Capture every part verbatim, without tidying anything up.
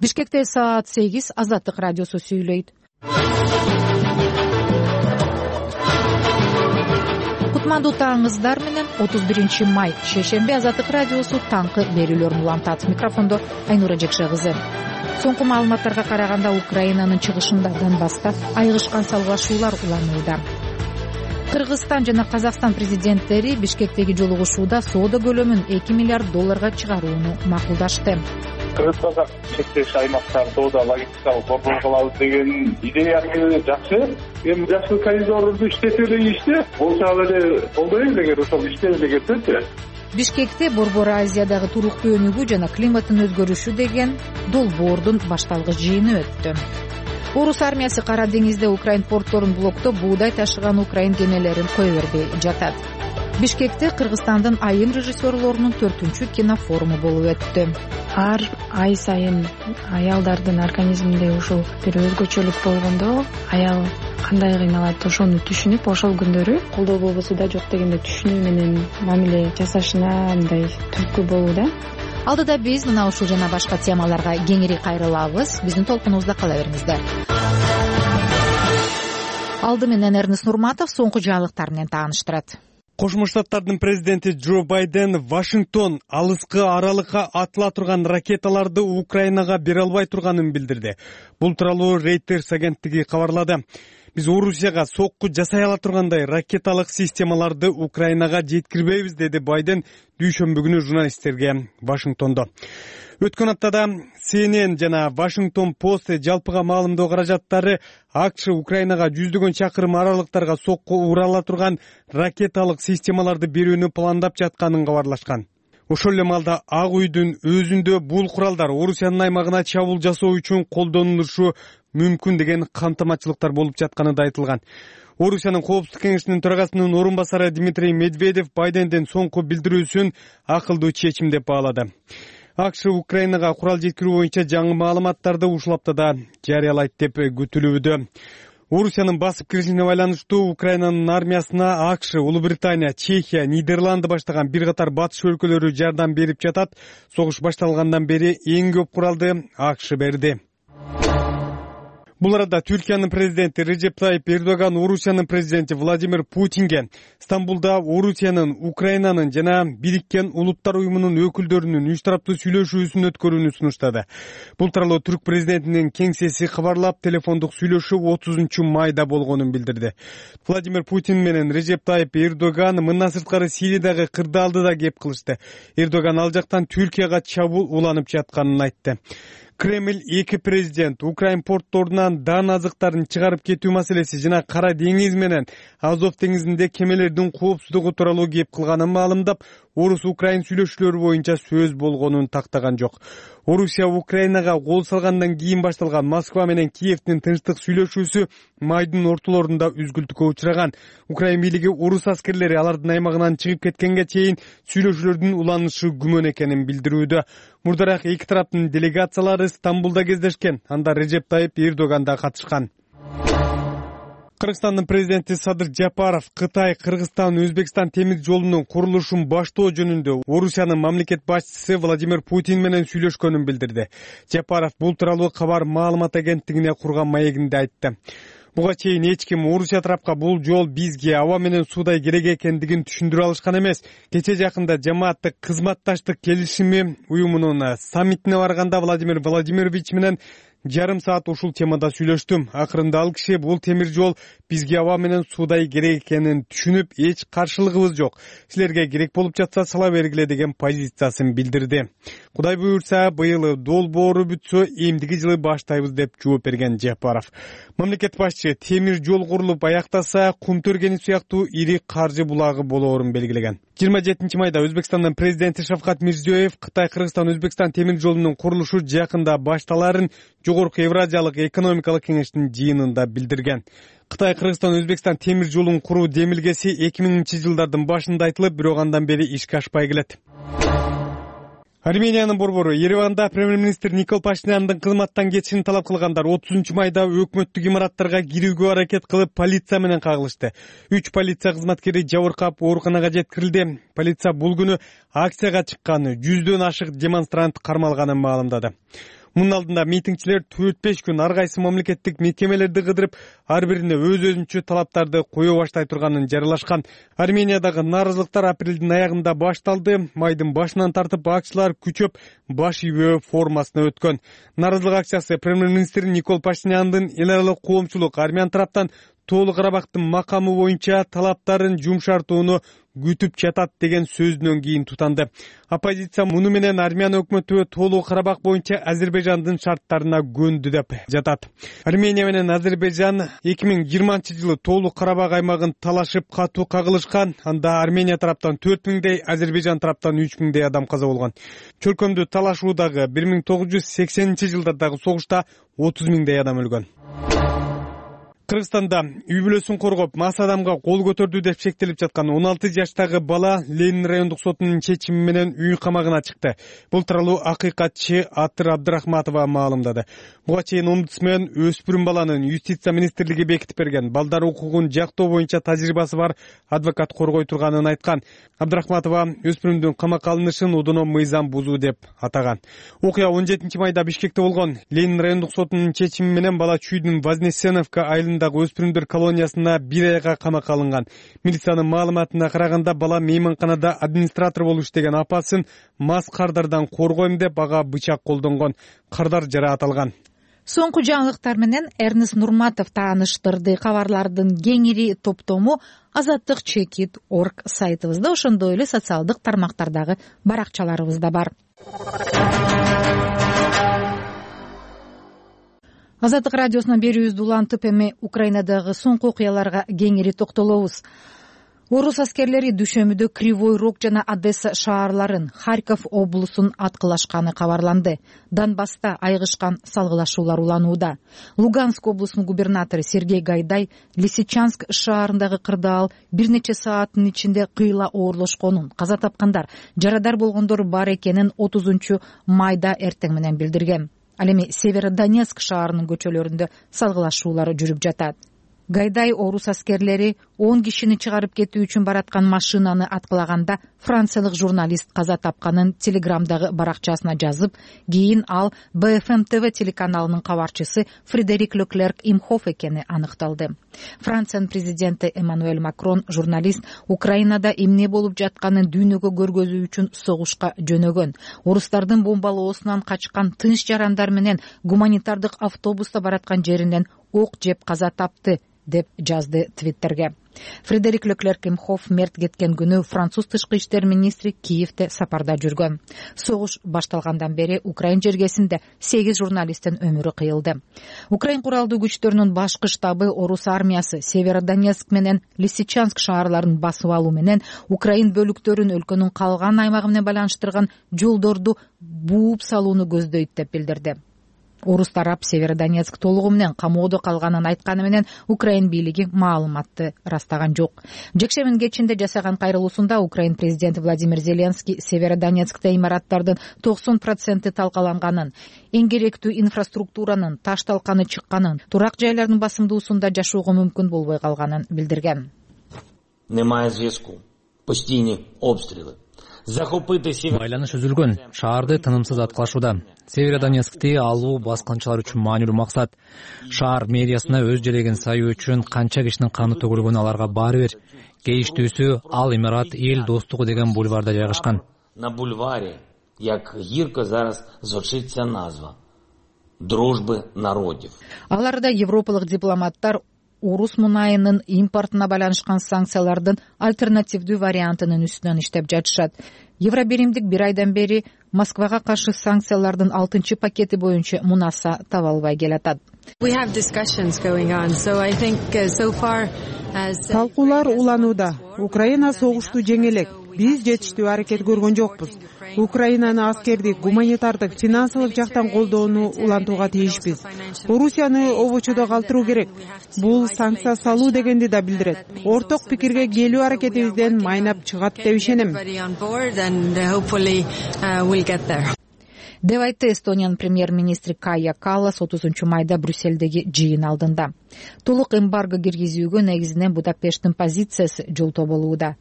Бишкекте саат сегиз. Азаттык радиосу сүйлөйт. Кутмандуу таңыңыздар менен. отуз биринчи май шейшемби Азаттык радиосу таңкы берүүлөрүн улантат. Микрофондо Айнура Жекше кызы. Соңку маалыматтарга караганда Украинанын чыгышында Донбасста айыгышкан салгылашуулар уланууда. Кыргызстан жана Казакстан президенттери Бишкектеги жолугушууда соода көлөмүн эки миллиард долларга чыгарууну макулдашты. Кыргыз-Казак чектеш аймактар соода логистикалык борбор кылабыз деген идеясы жакшы. Эми жашыл коридорду иштетели иште болсо ал эле колдойбуз эгер ошол иштеле кетсечи. Бишкекте Борбор Азиядагы туруктуу өнүгүү жана климаттын өзгөрүшү деген долбоордун башталгыч жыйыны өттү. Орус армиясы Кара деңизде Украин портторун блоктоп, буудай ташыган Украин кемелерин кое бербей жатат. Бишкекте Кыргызстандын айым режиссерлорунун төртүнчү кинофоруму болуп өттү. Ар ай сайын аялдардын организминде ушул бир өзгөчөлүк болгондо аял кандай кыйналат ошону түшүнүп, ошол күндөрү колдоо болбосо да жок дегенде түшүнүү менен мамиле жасашына мындай түрткү болууда. Алдыда биз мына ушул жана башка темаларга кеңири кайрылабыз. Биздин толкунубузда кала бериңиздер. Алды менен Эрнест Нурматов соңку жаңылыктар менен тааныштырат. Кошмо Штаттардын президенти Джо Байден Вашингтон алыскы аралыкка атыла турган ракеталарды Украинага бере албай турганын билдирди. Бул тууралуу Reuters агенттиги кабарлады. Биз Орусияга сокку жасай ала тургандай ракеталык системаларды Украинага жеткирбейбиз, деди Байден дүйшөмбү күнү журналисттерге Вашингтондо. Өткөн аптада Си Эн Эн жана Washington Post жалпыга маалымдоо каражаттары АКШ Украинага жүздөгөн чакырым аралыктарга сокку ура ала турган ракеталык системаларды берүүнү пландап жатканын кабарлашкан. Ошол эле маалда Ак үйдүн өзүндө бул куралдар Орусиянын аймагына чабуул жасоо үчүн колдонулушу мүмкүн деген кантамачылыктар болуп жатканы да айтылган. Орусиянын Коопсуздук кеңешинин төрагасынын орун басары Дмитрий Медведев Байдендин соңку билдирүүсүн акылдуу чечим деп баалады. АКШ Украинага курал жеткирүү боюнча жаңы маалыматтарды ушул аптада жарыялайт деп күтүлүүдө. Орусиянын басып киришине байланыштуу Украинанын армиясына АКШ, Улуу Британия, Чехия, Нидерланды баштаган бир катар батыш өлкөлөрү жардам берип жатат. Согуш башталгандан бери эң көп куралды АКШ берди. Бул арада Түркиянын президенти Режеп Тайип Эрдоган Орусиянын президенти Владимир Путинге Стамбулда Орусиянын, Украинанын жана Бириккен Улуттар уюмунун өкүлдөрүнүн үч тараптуу сүйлөшүүсүн өткөрүүнү сунуштады. Бул тууралуу Түрк президентинин кеңсеси кабарлап, телефондук сүйлөшүү отузунчу майда болгонун билдирди. Владимир Путин менен Режеп Тайип Эрдоган мындан сырткары Сириядагы кырдаалдыда кеп кылышты. Эрдоган ал жактан Түркияга чабуул уланып жатканын айтты. Кремль эки президент Украин портторунан дан азыктарын чыгарып кетүү маселеси жана Кара деңиз менен Азов деңизинде кемелердин коопсуздугу тууралуу кеп кылганын маалымдап, Орус-Украин сүйлөшүүлөрү боюнча сөз болгонун тактаган жок. Орусия Украинага кол салгандан кийин башталган Москва менен Киевдин тынчтык сүйлөшүүсү майдын ортолорунда үзгүлтүккө учураган. Украин бийлиги орус аскерлери алардын аймагынан чыгып кеткенге чейин сүйлөшүүлөрдүн уланышы күмөн экенин билдирүүдө. Мурдараак эки тараптын делегациялары Стамбулда кездешкен. Анда Режеп Тайип Эрдоган да катышкан. Кыргызстандын президенти Садыр Жапаров Кытай, Кыргызстан, Өзбекстан темир жолунун курулушун баштоо жөнүндө Орусиянын мамлекет башчысы Владимир Путин менен сүйлөшкөнүн билдирди. Жапаров бул тууралуу кабар маалымат агенттигине курган маегинде айтты. Буга чейин эч ким Орусия тарапка бул жол бизге аба менен суудай керек экендигин түшүндүрө алышкан эмес. Кече жакында жамааттык кызматташтык келишими уюмунун саммитине барганда Владимир Владимирович менен жарым саат ушул темада сүйлөштүм. Акырында ал киши бул темир жол бизге аба менен суудай керек экенин түшүнүп, эч каршылыгыбыз жок. Силерге керек болуп жатса сала бергиле деген позициясын билдирди. Кудай буйрса, быйыл долбоору бүтсө, эмдиги жылы баштайбыз деп жооп берген Жапаров. Мамлекет башчы темир жол курулуп аяктаса, Кумтөргени сыяктуу ири каржы булагы болоорун белгилеген. жыйырма жетинчи майда Өзбекстандын президенти Шавкат Мирзиёев Кытай, Кыргызстан, Өзбекстан темир жолунун курулушу жакында башталарын Жогорку Евразиялык экономикалык кеңештин жыйынында билдирген. Кытай, Кыргызстан, Өзбекстан темир жолун куруу демилгеси эки миңинчи жылдардын башында айтылып, бирок андан бери ишке ашпай келет. Армениянын борбору Ереванда премьер-министр Никол Пашиняндын кызматтан кетишин талап кылгандар отузунчу майда өкмөттүк имараттарга кирүүгө аракет кылып, полиция менен кагылышты. үч полиция кызматкери жабыркап ооруканага жеткирилди. Полиция бул күнү акцияга чыккан жүздөн ашык демонстрант кармалганын маалымдады. Мунун алдында митингчилер төрт беш күн ар кайсы мамлекеттик мекемелерди кыдырып, ар бирине өз өзүнчө талаптарды кое баштай турганын жарыялашкан. Армениядагы нааразылыктар апрелдин аягында башталды. Майдын башынан тартып акчылар күчөп баш ийбөө формасына өткөн. Нааразылык акциясы премьер-министр Никол Пашиняндын эл аралык коомчулук армян тараптан Тоолуу Карабактын макамы боюнча талаптарын жумшартууну күтүп жатат деген сөзүнөн кийин тутанды. Оппозиция муну менен армян өкмөтү Тоолуу Карабак боюнча Азербайжандын шарттарына көндү деп жатат. Армения менен Азербайжан эки миң жыйырманчы жылы Тоолуу Карабак аймагын талашып катуу кагылышкан. Анда Армения тараптан төрт миңдей, Азербайжан тараптан үч миңдей адам каза болгон. Чөлкөмдү талашуудагы бир миң тогуз жүз сексенинчи жылдардагы согушта отуз миңдей адам өлгөн. Кыргызстанда үй бүлөсүн коргоп, мас адамга кол көтөрдү деп шектелип жаткан он алты жаштагы бала Ленин райондук сотунун чечими менен үй камагына чыкты. Бул тууралуу акыйкатчы Атыр Абдрахматова маалымдады. Буга чейин омбудсмен өспүрүм баланын юстиция министрлиги бекитип берген балдар укугун жактоо боюнча тажрыйбасы бар адвокат коргой турганын айткан. Абдрахматова өспүрүмдүн камакка алынышын удуно мыйзам бузуу деп атаган. Окуя он жетинчи майда Бишкекте болгон. Ленин райондук сотунун чечими менен бала Чүйдүн Вознесеновка айылында өспүрүмдөр колониясына бир айга камакка алынган. Милициянын маалыматына караганда бала мейманканада администратор болуп иштеген апасын мас кардардан коргойм деп ага бычак колдонгон. Кардар жарааталган. Соңку жаңылыктар менен Эрнест Нурматов тааныштырды. Кабарлардын кеңири топтому азаттык чекит точка орг сайтыбызда, ошондой эле социалдык тармактардагы баракчаларыбызда бар. Азаттык радиосунан берүүбүздү улантып, эми Украинадагы соңку окуяларга кеңири токтолобуз. Орус аскерлери дүйшөмбүдө Кривой Рог жана Одесса шаарларын, Харьков облусун аткылашканы кабарланды. Донбасста айгышкан салгылашуулар уланууда. Луганск облусунун губернатору Сергей Гайдай Лисичанск шаарындагы кырдаал бир нече сааттын ичинде кыйла оорлошконун, каза тапкандар, жарадар болгондор бар экенин отузунчу майда эртең менен билдирген. Ал эми Северодонецк шаарынын көчөлөрүндө салгылашуулар жүрүп жатат. Гайдай орус аскерлери он кишини чыгарып кетүү үчүн бараткан машинаны аткылаганда франциялык журналист каза тапканын телеграмдагы баракчасына жазып, кийин ал Бэ Эф Эм Тэ Вэ телеканалынын кабарчысы Фредерик Леклерк Имхоф экени аныкталды. Франциянын президенти Эммануэль Макрон журналист Украинада эмне болуп жатканын дүйнөгө көргөзүү үчүн согушка жөнөгөн. Орустардын бомбалоосунан качкан тынч жарандар менен гуманитардык автобуста бараткан жеринен ок жеп каза тапты деп жазды Твиттерге. Фредерик Леклерк Имхоф мерт кеткен күнү француз тышкы иштер министри Киевде сапарда жүргөн. Согуш башталгандан бери Украин жергесинде сегиз журналисттин өмүрү кыйылды. Украин куралдуу күчтөрүнүн башкы штабы орус армиясы Северодонецк менен Лисичанск шаарларын басып алуу менен Украин бөлүктөрүн өлкөнүн калган аймагы менен байланыштырган жолдорду бууп салууну көздөйт деп билдирди. Орус тарап Северодонецк толугу менен камоодо калганын айтканы менен Украин бийлиги маалыматты ырастаган жок. Жекшембинин кечинде жасаган кайрылуусунда Украин президенти Владимир Зеленский Северодонецкте имараттардын токсон проценти талкаланганын, эң керектүү инфраструктуранын ташталканы чыкканын, турак жайлардын басымдуусунда жашоого мүмкүн болбой калганын билдирген. Немає зв'язку. Постійні обстріли. Байланыш үзүлгөн. Шаарды тынымсыз аткылашууда. Северодонецкти алуу баскынчылар үчүн маанилүү максат. Шаар мэриясына өз желегин саюу үчүн канча кишинин каны төгүлгөнү аларга баары бир. Кейиштүүсү ал имарат эл достугу деген бульварда жайгашкан. На бульваре, як гирко зараз звучиться назва дружбы народов. Аларда европалык дипломаттар орус мунайынын импортуна байланышкан санкциялардын альтернативдүү вариантынын үстүнөн иштеп жатышат. Евробиримдик бир айдан бери Москвага каршы санкциялардын алтынчы пакети боюнча мунаса таба албай келатат. Талкуулар уланууда. Украина согушту жеңе элек. Биз жетиштүү аракет көргөн жокпуз. Украинаны аскердик, гуманитардык, финансылык жактан колдоону улантууга тийишпиз. Орусияны обочодо калтыруу керек. Бул санкция салуу дегенди да билдирет. Орток пикирге келүү аракетибизден майнап чыгат деп ишенем. Деп айтты Эстониянын премьер-министри Кая Каллас отузунчу майда Брюссельдеги жыйын алдында. Толук эмбарго киргизүүгө негизинен Будапешттин позициясы жолтоо болууда.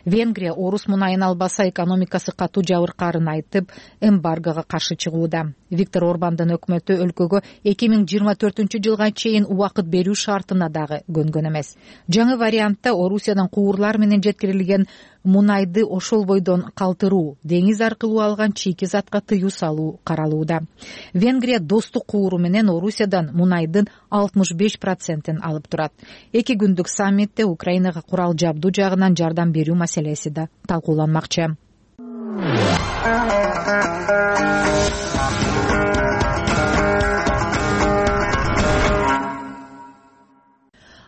Венгрия орус мунайын албаса экономикасы катуу жабыркаарын айтып, эмбаргого каршы чыгууда. Виктор Орбандын өкмөтү өлкөгө эки миң жыйырма төртүнчү жылга чейин убакыт берүү шартына дагы көнгөн эмес. Жаңы вариантта Орусиядан куурлар менен жеткирилген мунайды ошол бойдон калтыруу, деңиз аркылуу алган чийки затка тыюу салуу каралууда. Венгрия достук кууру менен Орусиядан мунайдын алтымыш беш процентин алып турат. Эки күндүк саммитте Украинага курал жабдуу жагынан жардам берүү маселеси да талкууланмакчы.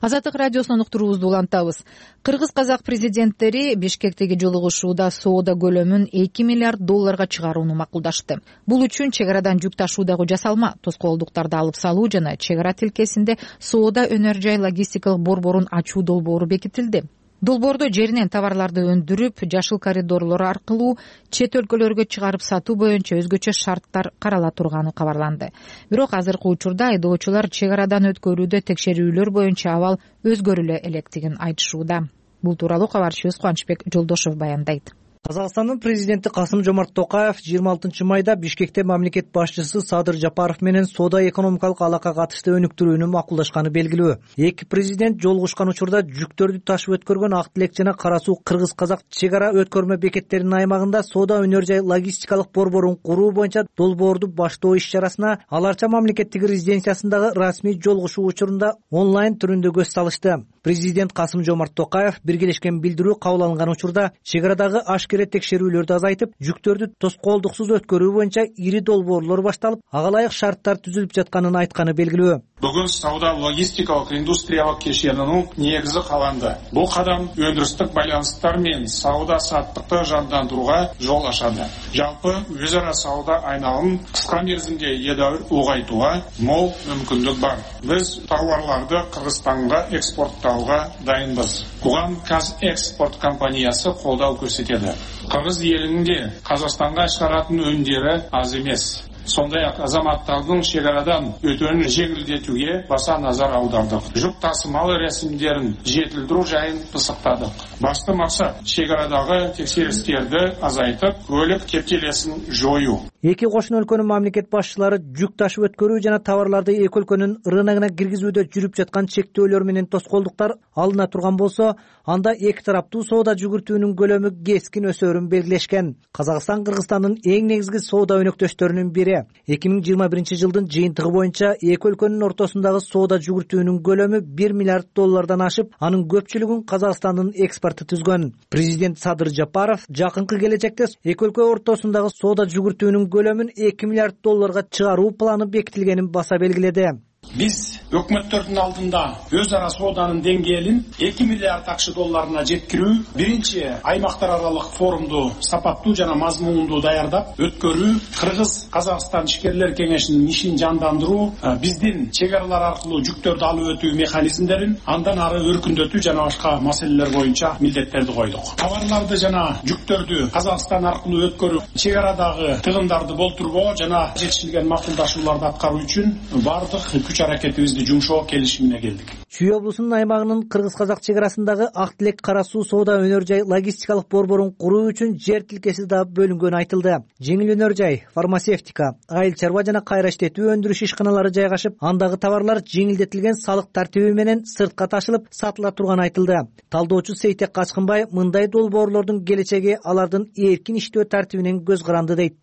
Азаттык радиосунун уктуруубузду улантабыз. Кыргыз-казак президенттери Бишкектеги жолугушууда соода көлөмүн эки миллиард долларга чыгарууну макулдашты. Бул үчүн чек арадан жүк ташуудагы жасалма тоскоолдуктарды алып салуу жана чек ара тилкесинде соода өнөр жай логистикалык борборун ачуу долбоору бекитилди. Долбоордо жеринен товарларды өндүрүп, жашыл коридорлор аркылуу чет өлкөлөргө чыгарып сатуу боюнча өзгөчө шарттар карала турганы кабарланды. Бирок азыркы учурда айдоочулар чек арадан өткөрүүдө текшерүүлөр боюнча абал өзгөрүлө электигин айтышууда. Бул тууралуу кабарчыбыз Кубанычбек Жолдошов баяндайт. Казакстандын президенти Касым-Жомарт Токаев жыйырма алтынчы майда Бишкекте мамлекет башчысы Садыр Жапаров менен соода экономикалык алакага катыштуу өнүктүрүүнү макулдашканы белгилүү. Эки президент жолугушкан учурда жүктөрдү ташып өткөргөн Ак Тилек жана Кара Суу Кыргыз-Казак чек ара өткөрмө бекеттеринин аймагында соода өнөр жай логистикалык борборун куруу боюнча долбоорду баштоо иш-чарасына Аларча мамлекеттик резиденциясындагы расмий жолугушуу учурунда онлайн түрүндө көз салышты. Президент Касым-Жомарт Токаев биргелешкен билдирүү кабыл алынган учурда чек арадагы ашкере текшерүүлөрдү азайтып, жүктөрдү тоскоолдуксуз өткөрүү боюнча ири долбоорлор башталып, ага ылайык шарттар түзүлүп жатканын айтканы белгилүү. Бүгүн сауда логистикалык индустриялык кешенинин негизи каланды. Бул кадам өндүрүстүк байланыштар менен сауда саттыкты жандандырууга жол ачады. Жалпы өз ара сауда айналымын кыска мерзимде едәуир улгайтууга мол мүмкүндүк бар. Биз товарларды Кыргызстанга экспорттауга дайынбыз. Буга Казэкспорт компаниясы колдоо көрсөтөт. Кыргыз элинде Казакстанга чыгаратын өндөрү аз эмес. Сондай ак азаматтардын чек арадан өтүүнү жеңилдетүүгө баса назар аудардык. Жүк тасымалы рәсимдерин жетилдирүү жайын пысыктадык. Башкы максат чек арадагы текшеристерди азайтып, көлүк кептелесин жоюу. Эки кошун өлкөнүн мамлекет башчылары жүк ташып өткөрүү жана товарларды эки өлкөнүн рыногуна киргизүүдө жүрүп жаткан чектөөлөр менен тоскоолдуктар алына турган болсо, анда эки тараптуу соода жүгүртүүнүн көлөмү кескин өсөөрүн белгилешкен. Казакстан Кыргызстандын эң негизги соода өнөктөштөрүнүн бири. эки миң жыйырма биринчи жылдын жыйынтыгы боюнча эки өлкөнүн ортосундагы соода жүгүртүүнүн көлөмү бир миллиард доллардан ашып, анын көпчүлүгүн Казакстандын экспорту түзгөн. Президент Садыр Жапаров жакынкы келечекте эки өлкө ортосундагы соода жүгүртүүнүн көлөмүн эки миллиард долларга чыгаруу планы бекитилгенин баса белгиледи. Биз өкмөттөрдүн алдында өз ара сооданын деңгээлин эки миллиард акш долларына жеткирүү, биринчи аймактар аралык форумду сапаттуу жана мазмундуу даярдап өткөрүү, Кыргыз-Казакстан ишкерлер кеңешинин ишин жандандыруу, биздин чек аралар аркылуу жүктөрдү алып өтүү механизмдерин андан ары өркүндөтүү жана башка маселелер боюнча милдеттерди койдук. Товарларды жана жүктөрдү Казакстан аркылуу өткөрүү, чек арадагы тыгындарды болтурбоо жана жетишилген макулдашууларды аткаруу үчүн бардык күч аракетибизди жумшоо келишимине келдик. Чүй облусунун аймагынын Кыргыз-Казак чек арасындагы Ак Тилек Кара Суу соода өнөр жай логистикалык борборун куруу үчүн жер тилкеси да бөлүнгөнү айтылды. Жеңил өнөр жай, фармацевтика, айыл чарба жана кайра иштетүү өндүрүш ишканалары жайгашып, андагы товарлар жеңилдетилген салык тартиби менен сыртка ташылып, сатыла турганы айтылды. Талдоочу Сейтек Качкынбай мындай долбоорлордун келечеги алардын эркин иштөө тартибинен көз каранды дейт.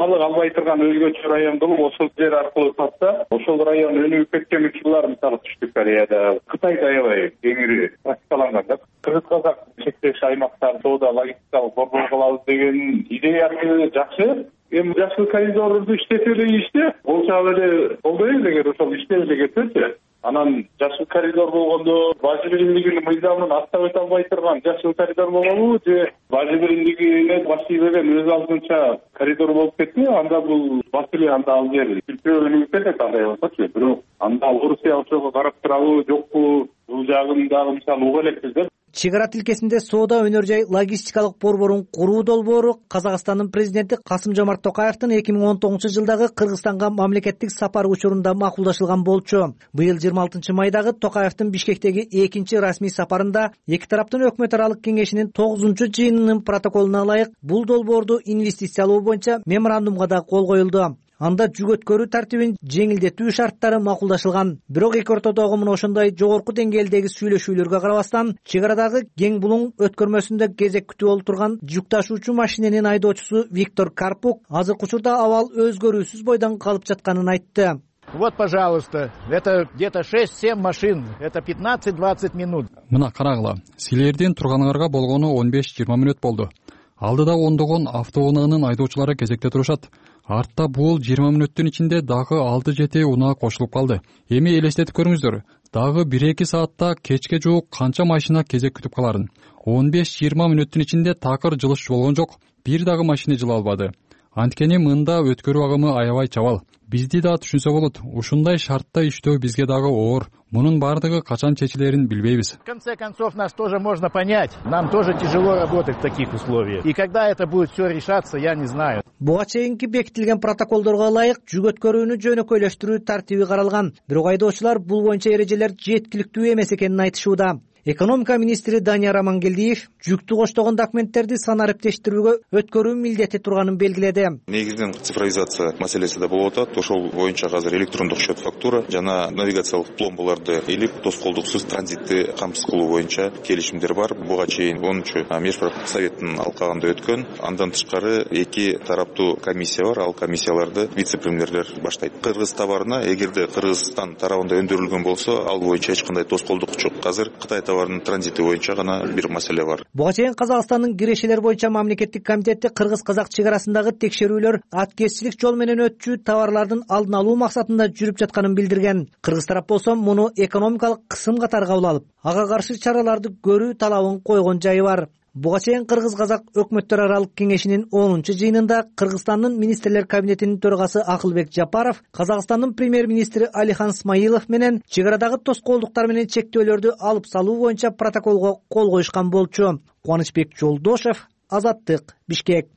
Алык албай турган өзгөчө район болуп, ошол жер аркылуу сатса, ошол район өнүгүп кеткен учурлар мисалы Түштүк Кореяда, Кытайда аябай кеңири практикаланган да. Кыргыз-Казак чектеш аймактар соода логистикалык борбор кылабыз деген идеясы жакшы. Эми жашыл коридорду иштете эле иште, болсо эле колдойбуз эгер ошол иштей эле кетсечи. Анан жашыл коридор болгондо бажы биримдигинин мыйзамын аттап өтө албай турган жашыл коридор болобу же бажы биримдигине баштый берген өз алдынча коридор болуп кетти, анда бул маселе анда ал жер сүлтөө өнүгүп кетет андай болсочу. Бирок анда Орусия ошого карап турабы, жокпу, бул жагын дагы мисалы уга элекпиз да. чек ара тилкесинде соода, өнөр жай, логистикалык борборун куруу долбоору Казакстандын президенти Касым-Жомарт Токаевдин эки миң он тогузунчу жылдагы Кыргызстанга мамлекеттик сапары учурунда макулдашылган болчу. Быйыл жыйырма алтынчы майдагы Токаевдин Бишкектеги экинчи расмий сапарында эки тараптын өкмөт аралык кеңешинин тогузунчу жыйынынын протоколуна ылайык бул долбоорду инвестициялоо боюнча меморандумга да кол коюлду. Анда жүк өткөрүү тартибин жеңилдетүү шарттары макулдашылган. Бирок эки ортодогу мына ошондой жогорку деңгээлдеги сүйлөшүүлөргө карабастан, чек арадагы кең булуң өткөрмөсүндө кезек күтүп олтурган жүк ташуучу машиненин айдоочусу Виктор Карпук азыркы учурда абал өзгөрүүсүз бойдон калып жатканын айтты. Вот, пожалуйста, это где-то шесть-семь машин, это пятнадцать-двадцать минут. Мына карагыла, силердин турганыңарга болгону он беш жыйырма мүнөт болду. Алдыда ондогон автоунаанын айдоочулары кезекте турушат. Артта бул жыйырма мүнөттүн ичинде дагы алты жети унаа кошулуп калды. Эми элестетип көрүңүздөр, дагы бир эки саатта кечке жуук канча машина кезек күтүп каларын. он беш жыйырма мүнөттүн ичинде такыр жылыш болгон жок. Бир дагы машина жыла албады. Анткени мында өткөрүү агымы аябай чабал. Бизди да түшүнсө болот. Ушундай шартта иштөө бизге дагы оор. Мунун бардыгы качан чечилерин билбейбиз. В конце концов, нас тоже можно понять. Нам тоже тяжело работать в таких условиях. И когда это будет все решаться, я не знаю. Буга чейинки бекитилген протоколдорго ылайык жүк өткөрүүнү жөнөкөйлөштүрүү тартиби каралган. Бирок айдоочулар бул боюнча эрежелер жеткиликтүү эмес экенин айтышууда. Экономика министри Данияр Амангелдиев жүктү коштогон документтерди санариптештирүүгө өткөрүү милдети турганын белгиледи. Негизинен цифровизация маселеси да болуп атат. Ошол боюнча азыр электрондук счет фактура жана навигациялык пломбаларды илип тоскоолдуксуз транзитти камсыз кылуу боюнча келишимдер бар. Буга чейин онунчу межправительственный советтин алкагында өткөн. Андан тышкары эки тараптуу комиссия бар. Ал комиссияларды вице-премьерлер баштайт. Кыргыз товарына эгерде Кыргызстан тарабында өндүрүлгөн болсо, ал боюнча эч кандай тоскоолдук жок. Азыр Кытай товарынын транзити боюнча гана бир маселе бар. Буга чейин Казакстандын кирешелер боюнча мамлекеттик комитети кыргыз-казак чек арасындагы текшерүүлөр аткезчилик жол менен өтчү товарлардын алдын алуу максатында жүрүп жатканын билдирген. Кыргыз тарап болсо муну экономикалык кысым катары кабыл алып, ага каршы чараларды көрүү талабын койгон жайы бар. Буга чейин Кыргыз-казак өкмөттөр аралык кеңешинин онунчу жыйынында Кыргызстандын министрлер кабинетинин төрагасы Акылбек Жапаров, Казакстандын премьер-министри Алихан Смаилов менен чек арадагы тоскоолдуктар менен чектөөлөрдү алып салуу боюнча протоколго кол коюшкан болчу. Кубанычбек Жолдошев, Азаттык, Бишкек.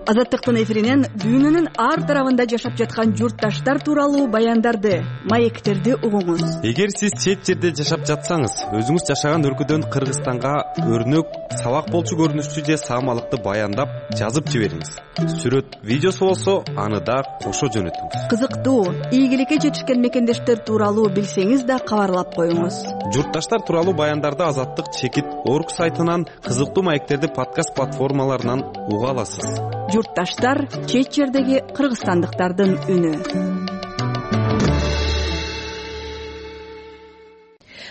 Азаттыктын эфиринен дүйнөнүн ар тарабында жашап жаткан журтташтар тууралуу баяндарды, маектерди угуңуз. Эгер сиз чет жерде жашап жатсаңыз, өзүңүз жашаган өлкөдөн Кыргызстанга өрнөк, сабак болчу көрүнүштүү же саамалыкты баяндап жазып жибериңиз. Сүрөт, видеосу болсо, аны да кошо жөнөтүңүз. Кызыктуу, ийгиликке жетишкен мекендештер тууралуу билсеңиз да кабарлап коюңуз. Журтташтар тууралуу баяндарды Азаттык чекит орг сайтынан, кызыктуу маектерди подкаст платформаларынан уга аласыз. Журтташтар чет жердеги кыргызстандыктардын үнү.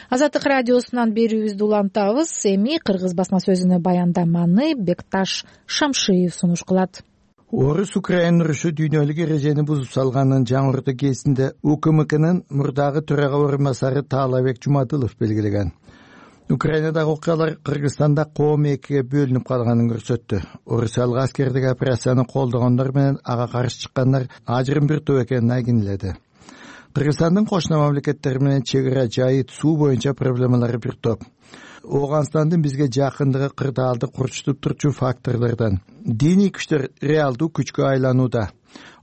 Азаттык радиосунан берүүбүздү улантабыз. Эми кыргыз басма сөзүнө баяндаманы Бекташ Шамшиев сунуш кылат. Орус Украина урушу дүйнөлүк эрежени бузуп салганын жаңыртуу кезинде УКМКнын мурдагы төрага орун басары Таалабек Жумадылов белгилеген. Украинадагы окуялар Кыргызстанда коом экиге бөлүнүп калганын көрсөттү. Орусиялык аскердик операцияны колдогондор менен ага каршы чыккандар ажырым бир топ экенин айгинеледи. Кыргызстандын кошуна мамлекеттер менен чек ара, жайыт, суу боюнча проблемалары бир топ. Ооганстандын бизге жакындыгы кырдаалды курчутуп турчу факторлордон. Диний күчтөр реалдуу күчкө айланууда.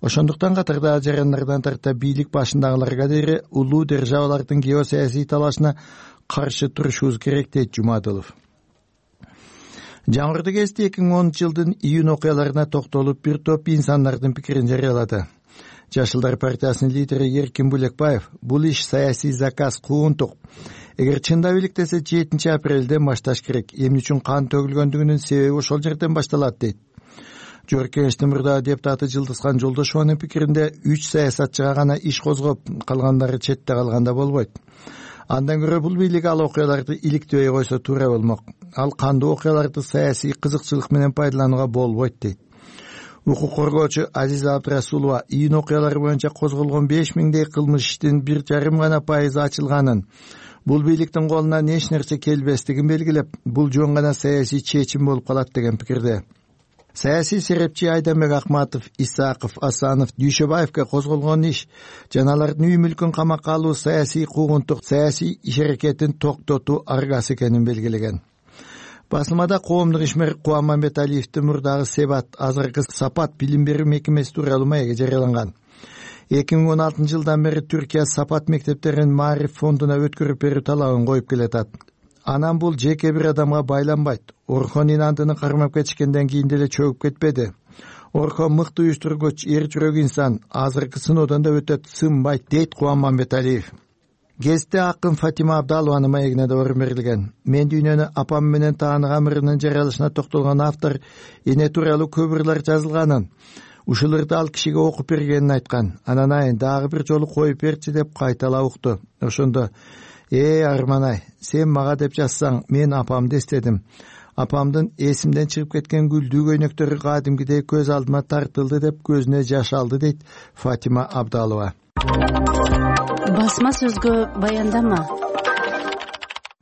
Ошондуктан катардагы жарандардан тарта бийлик башындагыларга дейре улуу державалардын геосаясий талашына каршы турушубуз керек, дейт Жумадылов. Жаңыртуу кезде эки миң онунчу жылдын июнь окуяларына токтолуп бир топ инсандардын пикирин жарыялады. Жашылдар партиясынын лидери Эркин Булекбаев бул иш саясий заказ, куугунтук. Эгер чындап иликтесе жетинчи апрелден башташ керек. Эмне үчүн кан төгүлгөндүгүнүн себеби ошол жерден башталат, дейт. Жогорку Кеңештин мурдагы депутаты Жылдызхан Жолдошованын пикиринде үч саясатчыга гана иш козгоп, калгандары четте калганда болбойт. Андан көрө бул бийлик ал окуяларды иликтебей койсо туура болмок. Ал кандуу окуяларды саясий кызыкчылык менен пайдаланууга болбойт, дейт. Укук коргоочу Азиза Абдрасулова июнь окуялары боюнча козголгон беш миңдей кылмыш иштин бир жарым гана пайызы ачылганын, бул бийликтин колунан эч нерсе келбестигин белгилеп, бул жөн гана саясий чечим болуп калат деген пикирде. саясий серепчи Айданбек Акматов, Исаков, Асанов, Дүйшөбаевге козголгон иш жана алардын үй мүлкүн камакка алуу саясий куугунтук, саясий иш аракетин токтотуу аргасы экенин белгилеген. Басылмада коомдук ишмер Кубан Мамбеталиевдин мурдагы Себат, азыркы Сапат билим берүү мекемеси тууралуу маеги жарыяланган. эки миң он алтынчы жылдан бери Түркия Сапат мектептерин Маариф фондуна өткөрүп берүү талабын коюп келатат. Анан бул жеке бир адамга байланбайт. Орхон инандыны кармап кетишкенден кийин деле чөгүп кетпеди. Орхон мыкты уюштургуч, эр жүрөк инсан, азыркы сыноодон да өтөт, сынбайт, дейт Кубан Мамбеталиев. Гезитте акын Фатима Абдалованын маегине да орун берилген. Мен дүйнөнү апам менен таанык амырынын жаралышына токтолгон автор эне тууралуу көп ырлар жазылганын, ушуларды ал кишиге окуп бергенин айткан. Анан айын дагы бир жолу коюп берчи деп кайталап укту. Ошондо: «Э, Арманай, сен мага деп жазсаң, мен апамды эстедим. Апамдын эсимден чыгып кеткен гүлдүү көйнөктөрү кадимкидей көз алдыма тартылды» деп көзүнө жаш алды, дейт Фатима Абдалова. Басма сөзгө баяндама.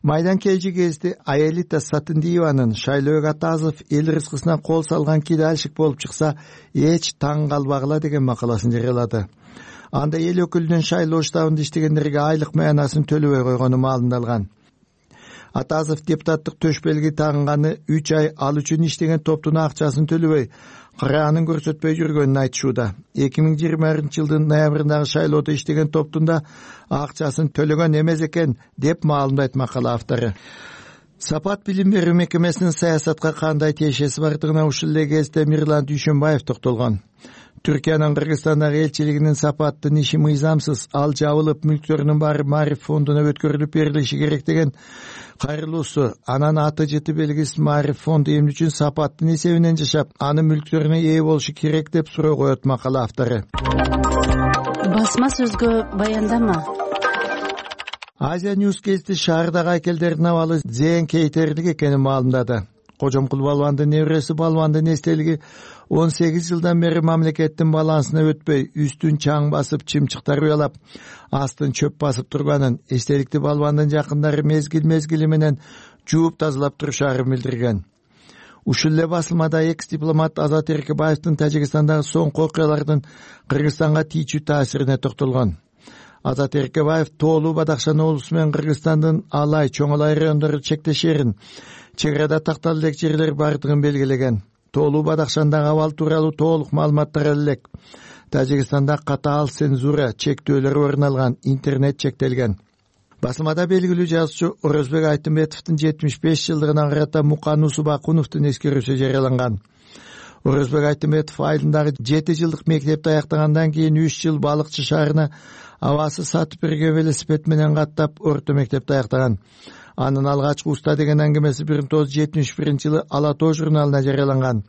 Майдан Кежи гезити Аэлита Сатындиеванын Шайлоо Атазов эл рызкысына кол салган кидальщик болуп чыкса эч таң калбагыла деген макаласын жарыялады. Анда эл өкүлүнүн Шайлоо штабында иштегендерге айлык маянасын төлөбөй койгону маалымдалган. Атазов депутаттык төшбелги тагынганы үч ай ал үчүн иштеген топтун акчасын төлөбөй, караанын көрсөтпөй жүргөнүн айтышууда. эки миң жыйырманчы жылдын ноябрындагы шайлоодо иштеген топтун да акчасын төлөгөн эмес экен деп маалымдайт макала автору. Сапат билим берүү мекемесинин саясатка кандай тиешеси бардыгына ушул эле кезде Мирлан Дүйшөнбаев токтолгон. Түркиянын Кыргызстандагы элчилигинин Сапаттын иши мыйзамсыз, ал жабылып, мүлктөрүнүн баары Маариф фондуна өткөрүлүп берилиши керек деген кайрылуусу. Анан аты жыты белгисиз Маариф фонду эмне үчүн Сапаттын эсебинен жашап, анын мүлктөрүнө ээ болушу керек деп суроо коет макала автору. Басма сөзгө баяндама. Азия Ньюс гезити шаардагы айкелдердин абалы зээн кейтердик экенин маалымдады. Кожомкул балбандын небереси балбандын эстелиги он сегиз жылдан бери мамлекеттин балансына өтпөй, үстүн чаң басып, чымчыктар уялап, астын чөп басып турганын, эстеликти балбандын жакындары мезгил-мезгили менен жууп тазалап турушаарын билдирген. Ушул эле басылмада экс-дипломат Азат Эркебаевдин Тажикстандагы соңку окуялардын Кыргызстанга тийчү таасирине токтолгон. Азат Эркебаев Тоолуу Бадакшан облусу менен Кыргызстандын Алай, Чоңолай райондору чектешерин, чек арада такталуу элек жерлер бардыгын белгилеген. Тоолуу Бадакшандагы абал тууралуу толук маалыматтар элек. Тажикстанда катаал цензура, чектөөлөр орун алган, интернет чектелген. Басылмада белгилүү жазуучу Орозбек Айтымбетовдун жетимиш беш жылдыгына карата Мукан Усубакуновдун эскерүүсү жарыяланган. Орозбек Айтымбетов айылындагы жети жылдык мектепти аяктагандан кийин үч жыл балыкчы шаарына абасы сатып берген велосипед менен каттап орто мектепти аяктаган. Анын алгачкы уста деген аңгемеси бир миң тогуз жүз жетимиш биринчи жылы Ала Тоо журналына жарыяланган.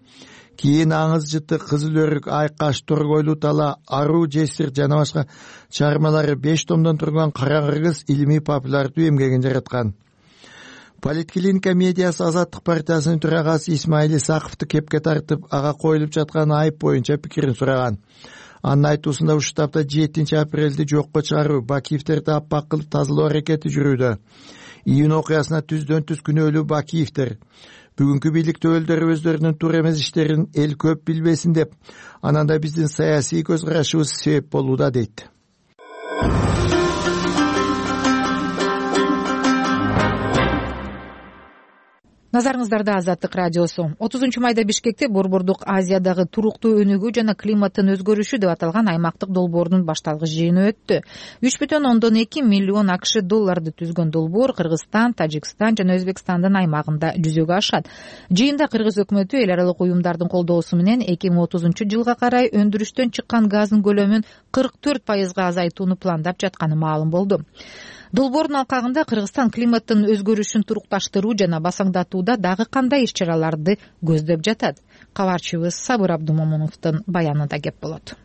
Кийин Аңыз жыты, Кызыл өрүк, Айкаш, Торгойлуу тала, Аруу, Жесир жана башка чыгармалары беш томдон турган Кара Кыргыз илимий популярдуу эмгегин жараткан. Политклиника медиасы Азаттык партиясынын төрагасы Исмаил Исаковду кепке тартып, ага коюлуп жаткан айып боюнча пикирин сураган. Анын айтуусунда ушул таапта жетинчи апрелди жокко чыгаруу, Бакиевтерди аппак кылып тазалоо аракети жүрүүдө. Июнь окуясына түздөн түз күнөөлүү Бакиевтер. Бүгүнкү бийликтөөлдөр өздөрүнүн туура эмес иштерин эл көп билбесин деп, анан да биздин саясий көз карашыбыз себеп болууда, дейт. Назарыңыздарда Азаттык радиосу. отузунчу майда Бишкекте Борбордук Азиядагы туруктуу өнүгүү жана климаттын өзгөрүшү деп аталган аймактык долбоордун башталгыч жыйыны өттү. үч бүтүн ондон эки миллион АКШ долларды түзгөн долбоор Кыргызстан, Тажикстан жана Өзбекстандын аймагында жүзөгө ашат. Жыйында Кыргыз өкмөтү эл аралык уюмдардын колдоосу менен эки миң отузунчу жылга карай өндүрүштөн чыккан газдын көлөмүн кырк төрт пайызга азайтууну пландап жатканы маалым болду. Долбоордун алкагында Кыргызстан климаттын өзгөрүшүн турукташтыруу жана басаңдатууда дагы кандай иш-чараларды көздөп жатат? Кабарчыбыз Сабыр Абдумомуновдун баянында кеп болот.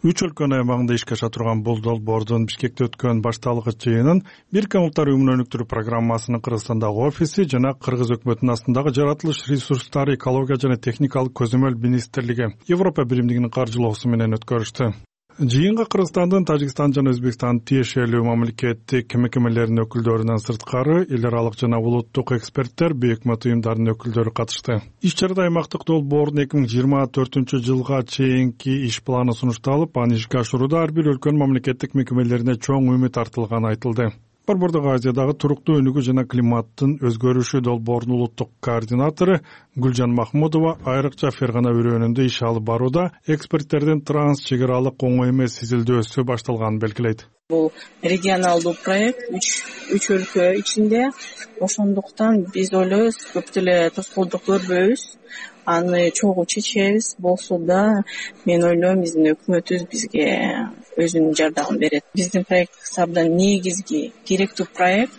Үч өлкөнүн аймагында ишке аша турган бул долбоордун Бишкекте өткөн башталгыч жыйынын Бириккен Улуттар Уюмунун өнүктүрүү программасынын Кыргызстандагы офиси жана Кыргыз өкмөтүнүн астындагы жаратылыш ресурстары, экология жана техникалык көзөмөл министрлиги Европа биримдигинин каржылоосу менен өткөрүштү. Жыйынга Кыргызстандын, Тажикстан жана Өзбекстандын тиешелүү мамлекеттик мекемелеринин өкүлдөрүнөн сырткары эл аралык жана улуттук эксперттер, бейөкмөт уюмдарынын өкүлдөрү катышты. Иш чарада аймактык долбоордун эки миң жыйырма төртүнчү жылга чейинки иш планы сунушталып, аны ишке ашырууда ар бир өлкөнүн мамлекеттик мекемелерине чоң үмүт артылганы айтылды. Борбордук Азиядагы туруктуу өнүгүү жана климаттын өзгөрүшү долбоорунун улуттук координатору Гүлжан Махмудова айрыкча Фергана өрөөнүндө иш алып барууда эксперттердин транс чек аралык оңой эмес изилдөөсү башталганын белгилейт. Бул регионалдуу проект үч өлкө ичинде, ошондуктан биз ойлойбуз көп деле тоскоолдук көрбөйбүз, аны чогуу чечебиз. Болсо да мен ойлойм биздин өкмөтүбүз бизге өзүнүн жардамын берет. Биздин проект абдан негизги керектүү проект.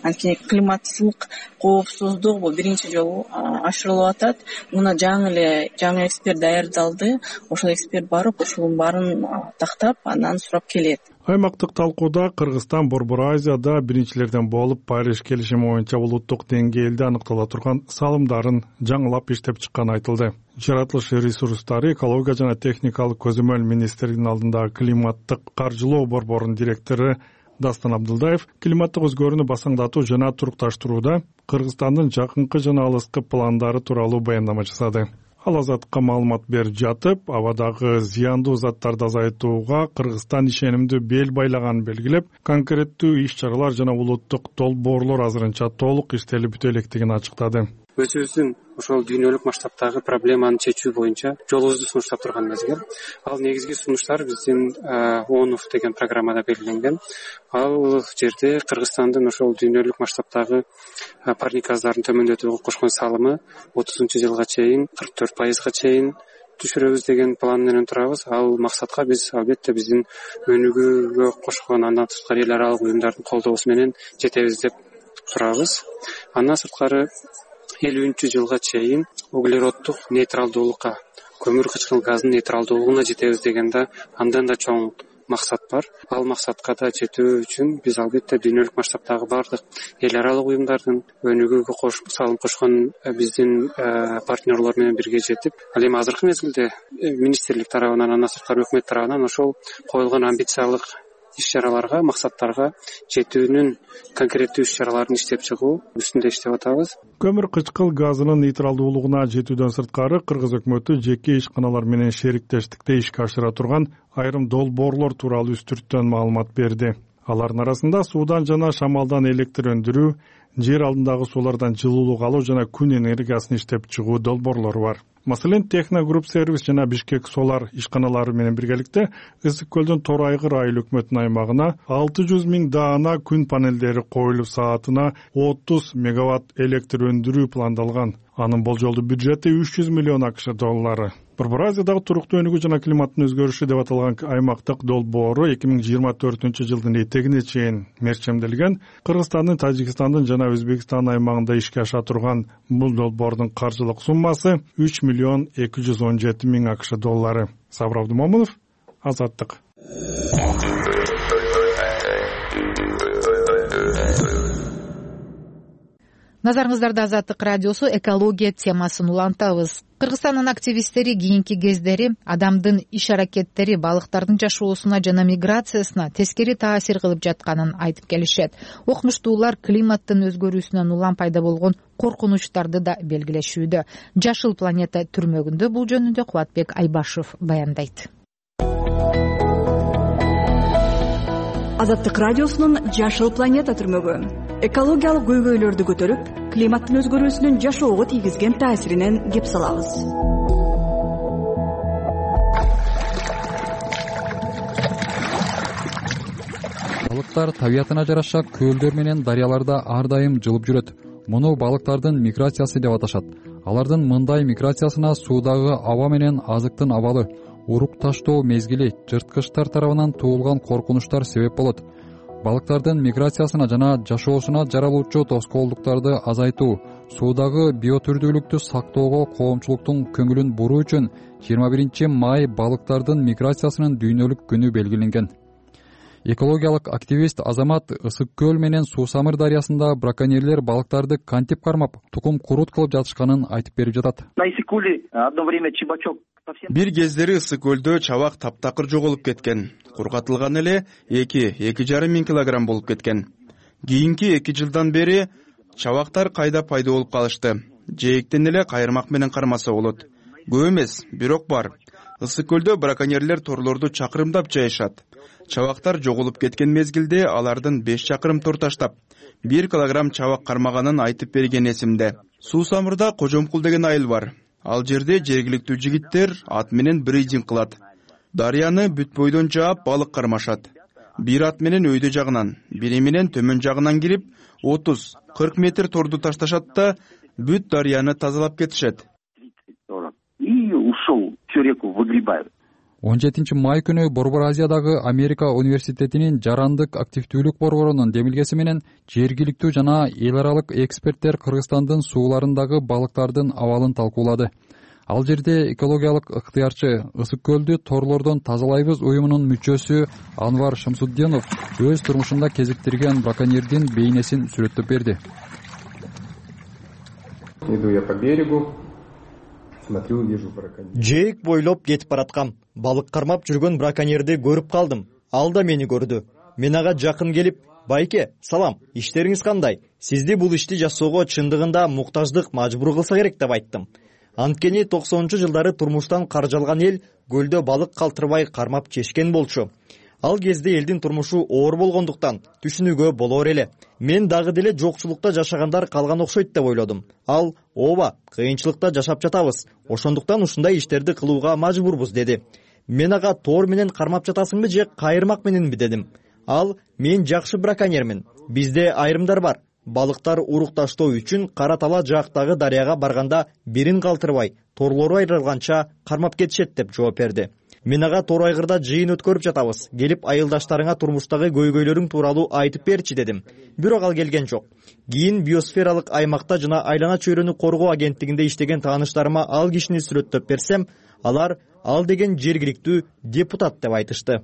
Анткени климаттык коопсуздук бул биринчи жолу ашырылып атат. Муна жаңы эле жаңы эксперт даярдалды. Ошол эксперт барып, ошонун баарын тактап, андан сурап келет. Аймактык талкууда Кыргызстан Борбор Азияда биринчилерден болуп Париж келишими боюнча улуттук деңгээлде аныктала турган салымдарын жаңылап иштеп чыкканы айтылды. Жаратылыш ресурстары, экология жана техникалык көзөмөл министрлигинин алдындагы климаттык каржылоо борборунун директору Дастан Абдылдаев климаттык өзгөрүүнү басаңдатуу жана турукташтырууда Кыргызстандын жакынкы жана алыскы пландары тууралуу баяндама жасады. Ал Азаттыкка маалымат берип жатып, абадагы зыяндуу заттарды азайтууга Кыргызстан ишенимдүү бел байлаганын белгилеп, конкреттүү иш-чаралар жана улуттук долбоорлор азырынча толук иштелип бүтө электигин ачыктады. Өзүбүздүн ошол дүйнөлүк масштабтагы проблеманы чечүү боюнча жолубузду сунуштап турган мезгил. Ал негизги сунуштар биздин ООН деген программада белгиленген. Ал жерде Кыргызстандын ошол дүйнөлүк масштабтагы парник газдарын төмөндөтүүгө кошкон салымы отузунчу жылга чейин кырк төрт пайызга чейин түшүрөбүз деген план менен турабыз. Ал максатка биз албетте биздин өнүгүүгө кошкон андан сырткары эл аралык уюмдардын колдоосу менен жетебиз деп турабыз. Андан сырткары элүүнчү жылга чейин углероддук нейтралдуулукка, көмүр кычкыл газдын нейтралдуулугуна жетебиз деген да андан да чоң максат бар. Ал максатка да жетүү үчүн биз албетте дүйнөлүк масштабтагы бардык эл аралык уюмдардын өнүгүүгө салым кошкон биздин партнерлор менен бирге жетип, ал эми азыркы мезгилде министрлик тарабынан, андан сырткары өкмөт тарабынан ошол коюлган амбициялык иш-чараларга, максаттарга жетүүнүн конкреттүү иш-чараларын иштеп чыгуу үстүндө иштеп атабыз. Көмүр кычкыл газынын нейтралдуулугуна жетүүдөн сырткары Кыргыз өкмөтү жеке ишканалар менен шериктештикте ишке ашыра турган айрым долбоорлор тууралуу үстүрттөн маалымат берди. Алардын арасында суудан жана шамалдан электр өндүрүү, жер алдындагы суулардан жылуулук алуу жана күн энергиясын иштеп чыгуу долбоорлору бар. Маселен, Техно Групп сервис жана Бишкек Солар ишканалары менен биргеликте Ысык көлдүн Тор Айгыр айыл өкмөтүнүн аймагына алты жүз миң даана күн панелдери коюлуп, саатына отуз мегаватт электр өндүрүү пландалган. Анын болжолдуу бюджети үч жүз миллион акш доллары. Борбор Азиядагы туруктуу өнүгүү жана климаттын өзгөрүшү деп аталган аймактык долбоору эки миң жыйырма төртүнчү жылдын этегине чейин мерчемделген. Кыргызстандын, Тажикстандын жана Өзбекстан аймагында ишке аша турган бул долбоордун каржылык суммасы үч миллион эки жүз он жети миң акш доллары. Сабыр Абдымомунов, Азаттык. Назарыңыздарда Азаттык радиосу экология темасын улантабыз. Кыргызстандын активисттери кийинки кездери адамдын иш-аракеттери балыктардын жашоосуна жана миграциясына тескери таасир кылып жатканын айтып келишет. Окумуштуулар климаттын өзгөрүүсүнөн улам пайда болгон коркунучтарды да белгилешүүдө. Жашыл планета түрмөгүндө бул жөнүндө Кубатбек Айбашев баяндайт. Азаттык радиосунун Жашыл планета түрмөгү экологиялык көйгөйлөрдү көтөрүп, климаттын өзгөрүүсүнүн жашоого тийгизген таасиринен кеп салабыз. Балыктар табиятына жараша көлдөр менен дарыяларда ар дайым жылып жүрөт. Муну балыктардын миграциясы деп аташат. Алардын мындай миграциясына суудагы аба менен азыктын абалы, урук таштоо мезгили, жырткычтар тарабынан туулган коркунучтар себеп болот. Балыктардын миграциясына жана жашоосуна жаралуучу тоскоолдуктарды азайтуу, суудагы биотүрдүүлүктү сактоого коомчулуктун көңүлүн буруу үчүн жыйырма биринчи май балыктардын миграциясынын дүйнөлүк күнү белгиленген. Экологиялык активист Азамат Ысык көл менен Суусамыр дарыясында браконьерлер балыктарды кантип кармап, тукум курут кылып жатышканын айтып берип жатат. На Исыкуле одно время Чебачок Бир кездери Ысык көлдө чабак таптакыр жоголуп кеткен. Кургатылган эле эки эки жарым миң килограмм болуп кеткен. Кийинки эки жылдан бери чабактар кайда пайда болуп калышты. Жээктен эле кайырмак менен кармаса болот. Көп эмес, бирок бар. Ысык көлдө браконьерлер торлорду чакырымдап жайышат. Чабактар жоголуп кеткен мезгилде алардын беш чакырым тор таштап, бир килограмм чабак кармаганын айтып берген эсимде. Суу Самырда Кожомкул деген айыл бар. Ал жерде жергиликтүү жигиттер ат менен бридинг кылат. Дарыяны бүт бойдон жаап балык кармашат. Бир ат менен өйдө жагынан, бири менен төмөн жагынан кирип, отуз кырк метр торду ташташат да бүт дарыяны тазалап кетишет. И ушел всю реку выгребают. он жетинчи май күнү Борбор Азиядагы Америка университетинин жарандык активдүүлүк борборунун демилгеси менен жергиликтүү жана эл аралык эксперттер Кыргызстандын сууларындагы балыктардын абалын талкуулады. Ал жерде экологиялык ыктыярчы Ысык көлдү торлордон тазалайбыз уюмунун мүчөсү Анвар Шамсуддинов өз турмушунда кезиктирген браконьердин бейнесин сүрөттөп берди. Иду я по берегу. Жээк бойлоп кетип бараткам. Балык кармап жүргөн браконьерди көрүп калдым. Ал да мени көрдү. Мен ага жакын келип, "Байке, салам, иштериңиз кандай? Сизди бул ишти жасоого чындыгында муктаждык мажбур кылса керек" деп айттым. Анткени токсонунчу жылдары турмуштан каржы алган эл көлдө балык калтырбай кармап чечкен болчу. Ал кезде элдин турмушу оор болгондуктан түшүнүүгө болор эле. Мен дагы деле жокчулукта жашагандар калган окшойт деп ойлодум. Ал ооба, кыйынчылыкта жашап жатабыз. Ошондуктан ушундай иштерди кылууга мажбурбуз деди. Мен ага тоор менен кармап жатасыңбы же кайырмак мененби дедим. Ал мен жакшы браконьермин. Бизде айрымдар бар. Балыктар урукташтоо үчүн Кара Тала жаактагы дарыяга барганда бирин калтырбай, торлору айрылганча кармап кетишет деп жооп берди. Мен ага тор айгырда жыйын өткөрүп жатабыз. Келип айылдаштарыңа турмуштагы көйгөйлөрүң тууралуу айтып берчи дедим. Бирок ал келген жок. Кийин биосфералык аймакта жана айлана чөйрөнү коргоо агенттигинде иштеген тааныштарыма ал кишини сүрөттөп берсем, алар ал деген жергиликтүү депутат деп айтышты.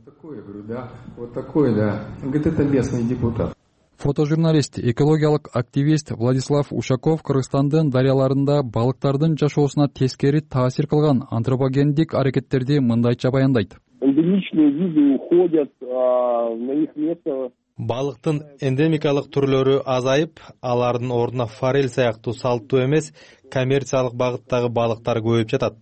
Вот такой, да. Говорит, это местный депутат. Фотожурналист, экологиялык активист Владислав Ушаков Кыргызстандын дарыяларында балыктардын жашоосуна тескери таасир кылган антропогендик аракеттерди мындайча баяндайт. Эндемичные виды уходят, на их место балыктын эндемикалык түрлөрү азайып, алардын ордуна форель сыяктуу салттуу эмес коммерциялык багыттагы балыктар көбөйүп жатат.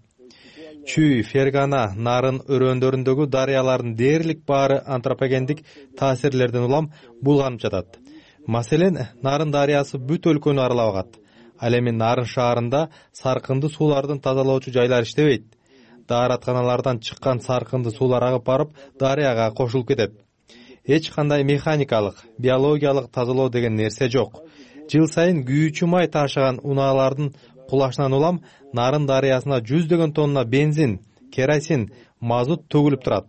Чүй, Фергана, Нарын өрөөндөрүндөгү дарыялардын дээрлик баары антропогендик таасирлерден улам булганып жатат. Маселен, Нарын дарыясы бүт өлкөнү аралап агат. Ал эми Нарын шаарында саркынды суулардын тазалоочу жайлар иштебейт. Дааратканалардан чыккан саркынды суулар агып барып, дарыяга кошулуп кетет. Эч кандай механикалык, биологиялык тазалоо деген нерсе жок. Жыл сайын күйүүчү май ташыган унаалардын кулашынан улам Нарын дарыясына жүздөгөн тонна бензин, керосин, мазут төгүлүп турат.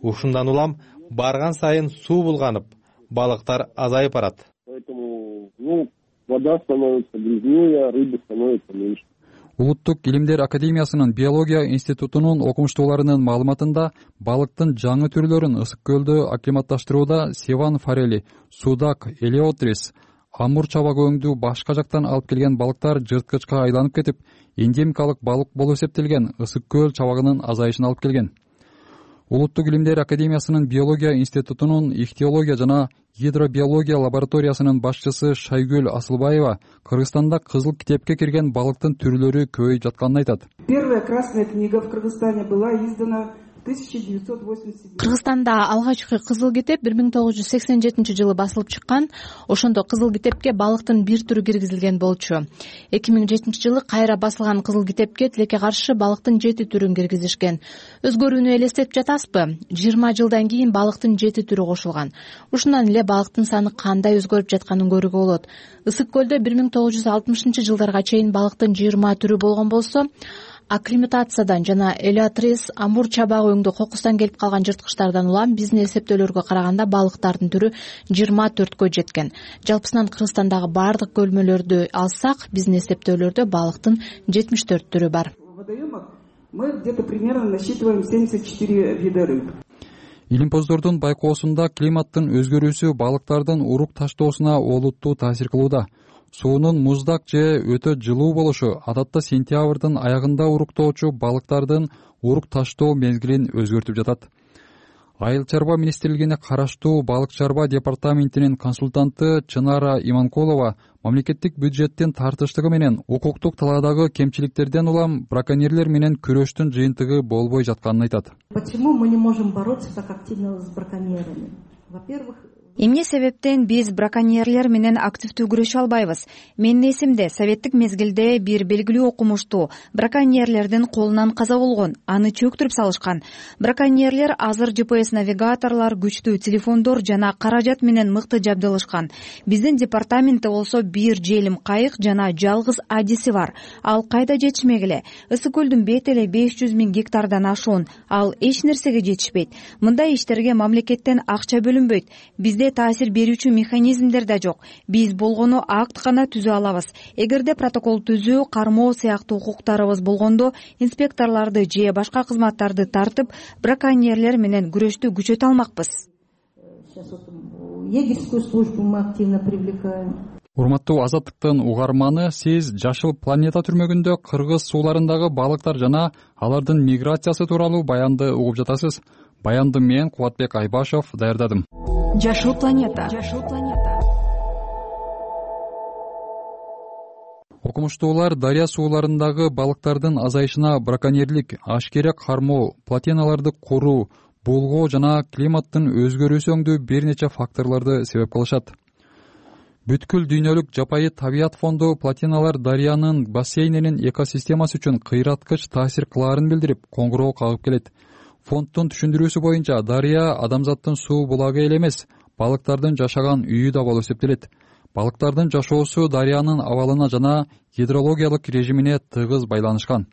Ушундан улам барган сайын суу булганып, балыктар азайып барат. Поэтому, ну, вода становится грязнее, рыбы становится меньше. Улуттук илимдер академиясынын биология институтунун окумуштууларынын маалыматында балыктын жаңы түрлөрүн Ысык көлдө акклиматташтырууда севан форели, судак, элеотрис, амур чабак өңдүү башка жактан алып келген балыктар жырткычка айланып кетип, эндемикалык балык болуп эсептелген Ысык көл чабагынын азайышына алып келген. Улуттук илимдер академиясынын биология институтунун ихтиология жана гидробиология лабораториясынын башчысы Шайгүл Асылбаева Кыргызстанда кызыл китепке кирген балыктын түрлөрү көбөйүп жатканын айтат. Первая красная книга в Кыргызстане была издана тысяча девятьсот восемьдесят седьмом. Кыргызстанда алгачкы кызыл китеп бир миң тогуз жүз сексен жетинчи жылы басылып чыккан. Ошондо кызыл китепке балыктын бир түрү киргизилген болчу. эки миң жетинчи жылы кайра басылган кызыл китепке тилекке каршы балыктын жети түрүн киргизишкен. Өзгөрүүнү элестетип жатасызбы? жыйырма жылдан кийин балыктын жети түрү кошулган. Ушундан эле балыктын саны кандай өзгөрүп жатканын көрүүгө болот. Ысык көлдө бир миң тогуз жүз алтымышынчы жылдарга чейин балыктын жыйырма түрү болгон болсо, акклиматациядан жана элеотрис, амур чабак өңдүү кокустан келип калган жырткычтардан улам биздин эсептөөлөргө караганда балыктардын түрү жыйырма төрткө жеткен. Жалпысынан Кыргызстандагы баардык көлмөлөрдү алсак, биздин эсептөөлөрдө балыктын жетимиш төрт түрү бар. Мы где-то примерно насчитываем семьдесят четыре вида рыб. илимпоздордун байкоосунда климаттын өзгөрүүсү балыктардын урук таштоосуна олуттуу таасир кылууда. Суунун муздак же өтө жылуу болушу адатта сентябрдын аягында уруктоочу балыктардын урук таштоо мезгилин өзгөртүп жатат. Айыл чарба министрлигине караштуу балык чарба департаментинин консультанты Чынара Иманкулова мамлекеттик бюджеттин тартыштыгы менен укуктук талаадагы кемчиликтерден улам браконьерлер менен күрөштүн жыйынтыгы болбой жатканын айтат. Почему мы не можем бороться так активно с браконьерами? Во-первых, эмне себептен биз браконьерлер менен активдүү күрөшө албайбыз? Менин эсимде советтик мезгилде бир белгилүү окумуштуу браконьерлердин колунан каза болгон, аны чөктүрүп салышкан. Браконьерлер азыр Джи Пи Эс навигаторлор, күчтүү телефондор жана каражат менен мыкты жабдылышкан. Биздин департаментте болсо бир желим кайык жана жалгыз адиси бар. Ал кайда жетишмек эле? Ысык көлдүн бети эле беш жүз миң гектардан ашуун. Ал эч нерсеге жетишпейт. Мындай иштерге мамлекеттен акча бөлүнбөйт. Бизде таасир берүүчү механизмдер да жок. Биз болгону акт гана түзө алабыз. Эгерде протокол түзүү, кармоо сыяктуу укуктарыбыз болгондо инспекторлорду же башка кызматтарды тартып, браконьерлер менен күрөштү күчөтө алмакпыз. Егерскую службу мы активно привлекаем. Урматтуу Азаттыктын угарманы, сиз Жашыл планета түрмөгүндө кыргыз сууларындагы балыктар жана алардын миграциясы тууралуу баянды угуп жатасыз. Баянды мен Кубатбек Айбашев даярдадым. Жашыл планета. Жашыл планета. Окумуштуулар дарыя сууларындагы балыктардын азайышына браконьерлик, ашкерек кармоо, плотиналарды куруу, булгоо жана климаттын өзгөрүүсүңдүү бир нече факторлорду себеп кылышат. Бүткүл дүйнөлүк жапайы табият фонду плотиналар дарыянын бассейнинин экосистемасы үчүн кыйраткыч таасир кылаарын билдирип, коңгуроо кагып келет. Фонддун түшүндүрүүсү боюнча дарыя адамзаттын суу булагы эле эмес, балыктардын жашаган үйү да болуп эсептелет. Балыктардын жашоосу дарыянын абалына жана гидрологиялык режимине тыгыз байланышкан.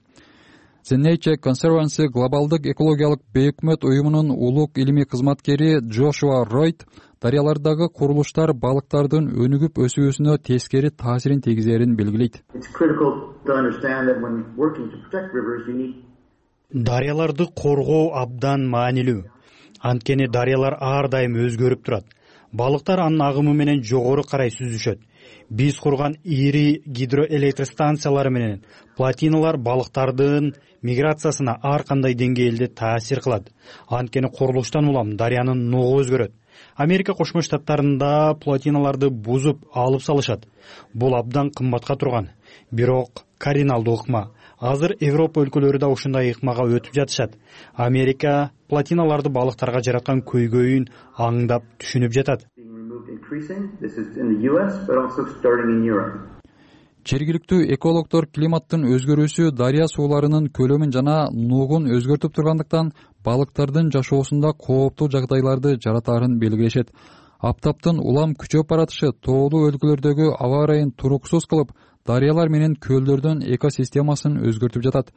The Nature Conservancy глобалдык экологиялык бейөкмөт уюмунун улук илимий кызматкери Джошуа Ройт дарыялардагы курулуштар балыктардын өнүгүп өсүүсүнө тескери таасирин тийгизерин белгилейт. Дарыяларды коргоо абдан маанилүү. Анткени дарыялар ар дайым өзгөрүп турат. Балыктар анын агымы менен жогору карай сүзүшөт. Биз курган ири гидроэлектростанциялар менен плотиналар балыктардын миграциясына ар кандай деңгээлде таасир кылат. Анткени курулуштан улам дарыянын нугу өзгөрөт. Америка Кошмо Штаттарында плотиналарды бузуп алып салышат. Бул абдан кымбатка турган. Бирок кардиналдуу ыкма. Азыр Европа өлкөлөрү да ушундай ыкмага өтүп жатышат. Америка плотиналарды балыктарга жараткан көйгөйүн аңдап түшүнүп жатат. Жергиликтүү экологдор климаттын өзгөрүүсү дарыя сууларынын көлөмүн жана нугун өзгөртүп тургандыктан балыктардын жашоосунда кооптуу жагдайларды жаратаарын белгилешет. Аптаптын улам күчөп баратышы тоолуу өлкөлөрдөгү аба ырайын туруксуз кылып, дарыялар менен көлдөрдүн экосистемасын өзгөртүп жатат.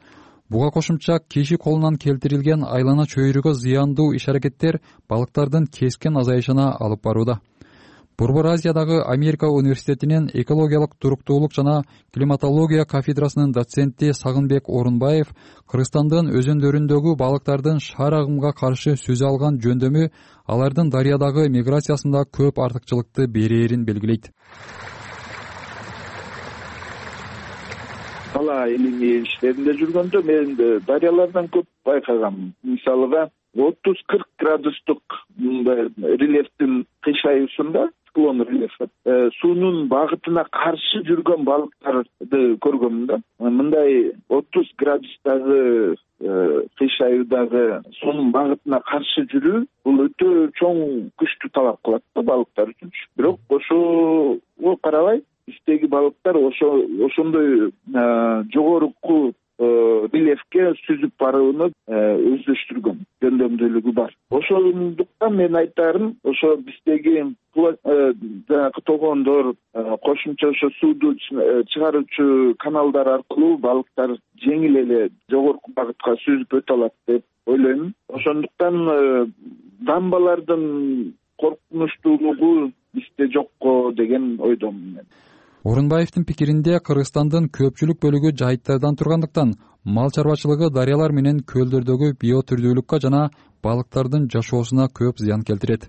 Буга кошумча киши колунан келтирилген айлана чөйрөгө зыяндуу иш-аракеттер балыктардын кескин азайышына алып барууда. Борбор Азиядагы Америка университетинин экологиялык туруктуулук жана климатология кафедрасынын доценти Сагынбек Орунбаев Кыргызстандын өзөндөрүндөгү балыктардын шаар агымга каршы сүзө алган жөндөмү алардын дарыядагы миграциясында көп артыкчылыкты берээрин белгилейт. Бала илимий иштеринде жүргөндө мен дарыялардан көп байкагам. Мисалыга отуз кырк градустук рельефтин кыйшайуусунда, циклон рельефи, суунун багытына каршы жүргөн балыктарды көргөм да. Мындай отуз градустагы кыйшаюудагы суунун багытына каршы жүрүү бул өтө чоң күчтү талап кылат да балыктар үчүн. Бирок ошого карабай биздеги балыктар ошо ошондой жогорку рельефке сүзүп барууну өздөштүргөн жөндөмдүүлүгү бар. Ошондуктан мен айтарым, ошо биздеги жанагы тогондор, кошумча ошо сууду чыгаруучу каналдар аркылуу балыктар жеңил эле жогорку багытка сүзүп өтө алат деп ойлойм. Ошондуктан дамбалардын коркунучтуулугу бизде жокко деген ойдомун мен. Орунбаевдин пикиринде Кыргызстандын көпчүлүк бөлүгү жайыттардан тургандыктан мал чарбачылыгы дарыялар менен көлдөрдөгү биотүрдүүлүккө жана балыктардын жашоосуна көп зыян келтирет.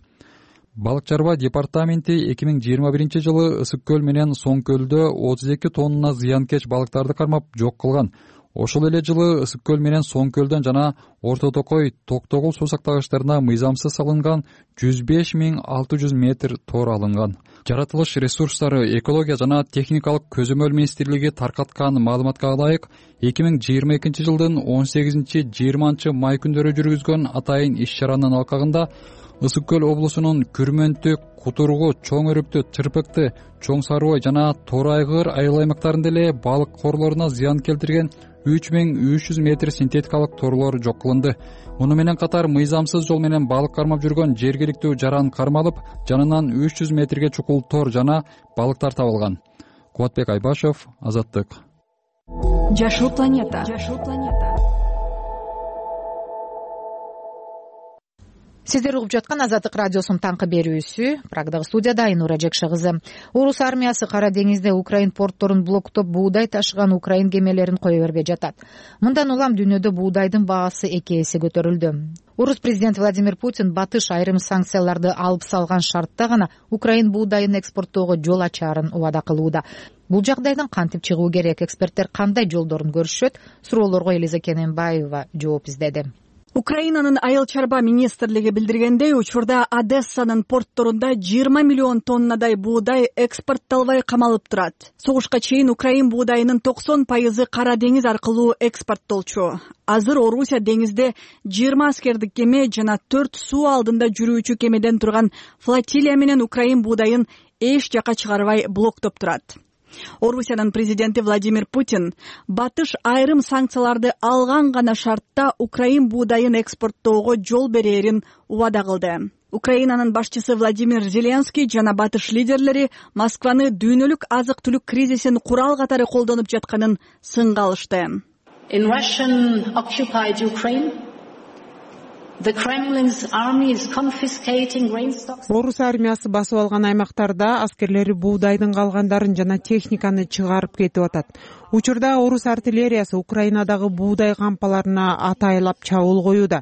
Балык чарба департаменти эки миң жыйырма биринчи жылы Ысык көл менен Соң көлдө отуз эки тонна зыянкеч балыктарды кармап жок кылган. Ошол эле жылы Ысык көл менен Соң көлдөн жана Орто Токой, Токтогул суу сактагычтарына мыйзамсыз салынган жүз беш миң алты жүз метр тор алынган. Жаратылыш ресурстары, экология жана техникалык көзөмөл министрлиги таркаткан маалыматка ылайык, эки миң жыйырма экинчи жылдын он сегизинчи жыйырманчы май күндөрү жүргүзгөн атайын иш-чаранын алкагында Ысык көл облусунун Күрмөнтү, Кутургу, Чоң Өрүктү, Чырпыкты, Чоң Сарыбай жана Тор Айгыр айыл аймактарында эле балык корлоруна зыян келтирген үч миң үч жүз метр синтетикалык торлор жок кылынды. Муну менен катар мыйзамсыз жол менен балык кармап жүргөн жергиликтүү жаран кармалып, жанынан үч жүз метрге чукул тор жана балыктар табылган. Кубатбек Айбашев, Азаттык. Жашыл планета. Жашыл планета. Сиздер угуп жаткан Азаттык радиосунун таңкы берүүсү. Прагдагы студияда Айнура Жекше кызы. Орус армиясы Кара деңизде Украин портторун блоктоп буудай ташыган Украин кемелерин кое бербей жатат. Мындан улам дүйнөдө буудайдын баасы эки эсе көтөрүлдү. Орус президенти Владимир Путин батыш айрым санкцияларды алып салган шартта гана Украин буудайын экспорттоого жол ачаарын убада кылууда. Бул жагдайдан кантип чыгуу керек? Эксперттер кандай жолдорун көрүшөт? Суроолорго Элиза Кененбаева жооп издеди. Украинанын айыл чарба министрлиги билдиргендей, учурда Одессанын портторунда жыйырма миллион тоннадай буудай экспортталбай камалып турат. Согушка чейин Украин буудайынын токсон пайызы Кара деңиз аркылуу экспорттолчу. Азыр Орусия деңизде жыйырма аскердик кеме жана төрт суу алдында жүрүүчү кемеден турган флотилия менен Украин буудайын эч жака чыгарбай блоктоп турат. Орусиянын президенти Владимир Путин батыш айрым санкцияларды алган гана шартта Украин буудайын экспорттоого жол берерин убада кылды. Украинанын башчысы Владимир Зеленский жана батыш лидерлери Москваны дүйнөлүк азык-түлүк кризисин курал катары колдонуп жатканын сынга алышты. In Russian occupied Ukraine, the Kremlin's army is confiscating grain stocks. Орус армиясы басып алган аймактарда аскерлери буудайдын калгандарын жана техниканы чыгарып кетип атат. Учурда орус артиллериясы Украинадагы буудай кампаларына атайлап чабуул коюуда.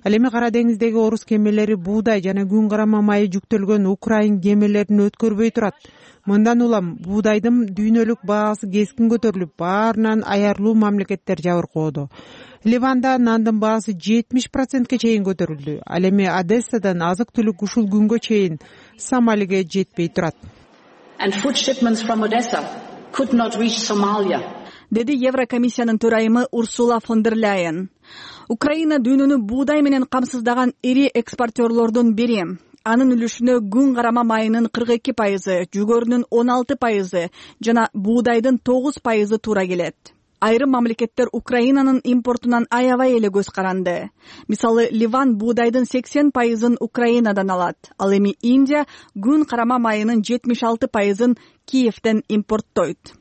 Ал эми Кара деңиздеги орус кемелери буудай жана күн карама майы жүктөлгөн Украин кемелерин өткөрбөй турат. Мындан улам буудайдын дүйнөлүк баасы кескин көтөрүлүп, баарынан аярлуу мамлекеттер жабыркоодо. Ливанда нандын баасы жетимиш процентке чейин көтөрүлдү. Ал эми Одессадан азык-түлүк ушул күнгө чейин Сомалиге жетпей турат. And food shipments from Odessa could not reach Somalia. Деди Еврокомиссиянын төрайымы Урсула фон дер Ляйен. Украина дүйнөнү буудай менен камсыздаган ири экспортерлордун бири. Анын үлүшүнө күн карама майынын кырк эки пайызы, жүгөрүнүн он алты пайызы жана буудайдын тогуз пайызы туура келет. Айрым мамлекеттер Украинанын импортунан аябай эле көз каранды. Мисалы, Ливан буудайдын сексен пайызын Украинадан алат. Ал эми Индия күн карама майынын жетимиш алты пайызын Киевден импорттойт.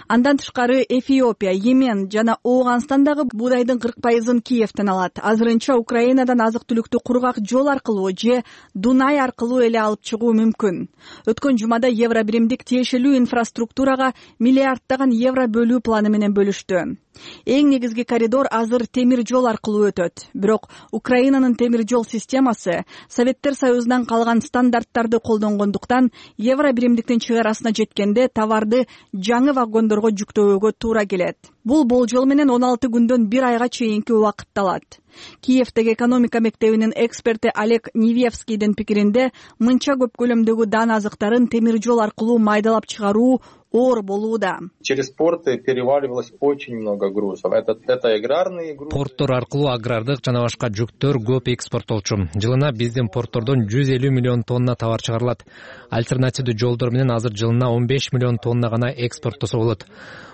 Андан тышкары Эфиопия, Йемен жана Ооганстандагы буудайдын кырк пайызын Киевден алат. Азырынча Украинадан азык-түлүктү кургак жол аркылуу же Дунай аркылуу эле алып чыгуу мүмкүн. Өткөн жумада Евробиримдик тиешелүү инфраструктурага миллиарддаган евро бөлүү планы менен бөлүштү. Эң негизги коридор азыр темир жол аркылуу өтөт. Бирок Украинанын темир жол системасы Советтер Союзунан калган стандарттарды колдонгондуктан Евробиримдиктин чыгарасына жеткенде товарды жаңы вагондорго жүктөөгө туура келет. Бул болжол менен он алты күндөн бир айга чейинки убакытты алат. Киевдеги экономика мектебинин эксперти Олег Невевскийдин пикиринде, мынча көп көлөмдөгү дан азыктарын темир жол аркылуу майдалап чыгаруу оор болууда. Через порты переваливалось очень много грузов. Это это аграрные грузы. Порттор аркылуу агрардык жана башка жүктөр көп экспорттолчу. Жылына биздин порттордон жүз элүү миллион тонна товар чыгарылат. Альтернативдүү жолдор менен азыр жылына он беш миллион тонна гана экспорттосо болот.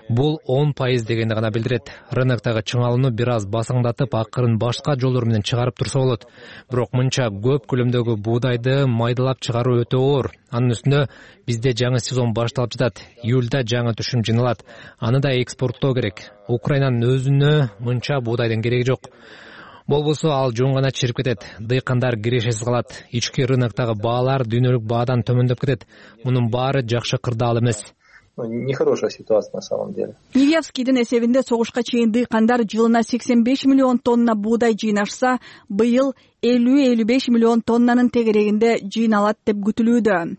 Бул он пайыз дегенди гана билдирет. Рыноктогу чыңалууну бир аз басаңдатып, акырын башка жолдор менен чыгарып турса болот. Бирок мынча көп көлөмдөгү буудайды майдалап чыгаруу өтө оор. Анын үстүнө бизде жаңы сезон башталып жатат. Июлда жаңы түшүм жыйналат. Аны да экспорттоо керек. Украинанын өзүнө мынча буудайдын кереги жок. Болбосо ал жөн гана чирип кетет. Дыйкандар кирешесиз калат. Ички рыноктогу баалар дүйнөлүк баадан төмөндөп кетет. Мунун баары жакшы кырдаал эмес. нехорошая ситуация на самом деле. Невьевскийдин эсебинде согушка чейин дыйкандар жылына сексен беш миллион тонна буудай жыйнашса, быйыл элүү элүү беш миллион тоннанын тегерегинде жыйналат деп күтүлүүдө.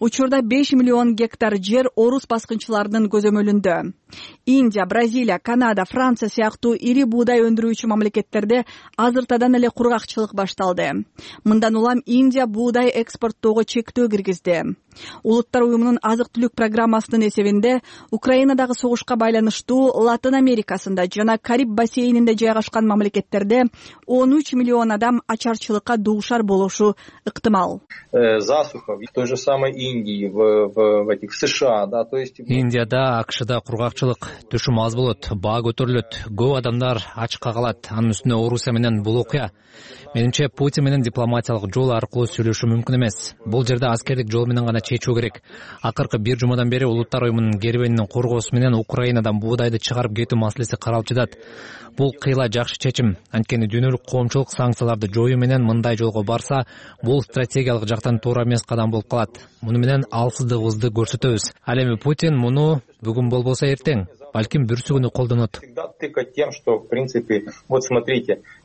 Учурда беш миллион гектар жер орус баскынчыларынын көзөмөлүндө. Индия, Бразилия, Канада, Франция сыяктуу ири буудай өндүрүүчү мамлекеттерде азыртадан эле кургакчылык башталды. Мындан улам Индия буудай экспорттоого чектөө киргизди. Улуттар уюмунун азык-түлүк программасынын эсебинде Украинадагы согушка байланыштуу Латын Америкасында жана Кариб бассейнинде жайгашкан мамлекеттерде он үч миллион адам ачарчылыкка дуушар болушу ыктымал. Засуха в той же самой Индии, в, в, в этих в США, да, то есть Индияда, АКШда кургакчылык, түшүм аз болот, баа көтөрүлөт, көп адамдар ачка калат. Анын үстүнө Орусия менен бул окуя. Менимче Путин менен дипломатиялык жол аркылуу сүйлөшүү мүмкүн эмес. Бул жерде аскердик жол менен гана чечүү керек. Акыркы бир жумадан бери Улуттар уюмунун кербенинин коргоосу менен Украинадан буудайды чыгарып кетүү маселеси каралып жатат. Бул кыйла жакшы чечим. Анткени дүйнөлүк коомчулук санкцияларды жоюу менен мындай жолго барса, бул стратегиялык жактан туура эмес кадам болуп калат. Муну менен алсыздыгыбызды көрсөтөбүз. Ал эми Путин муну бүгүн болбосо эртең, балким бүрсүгүнү колдонот.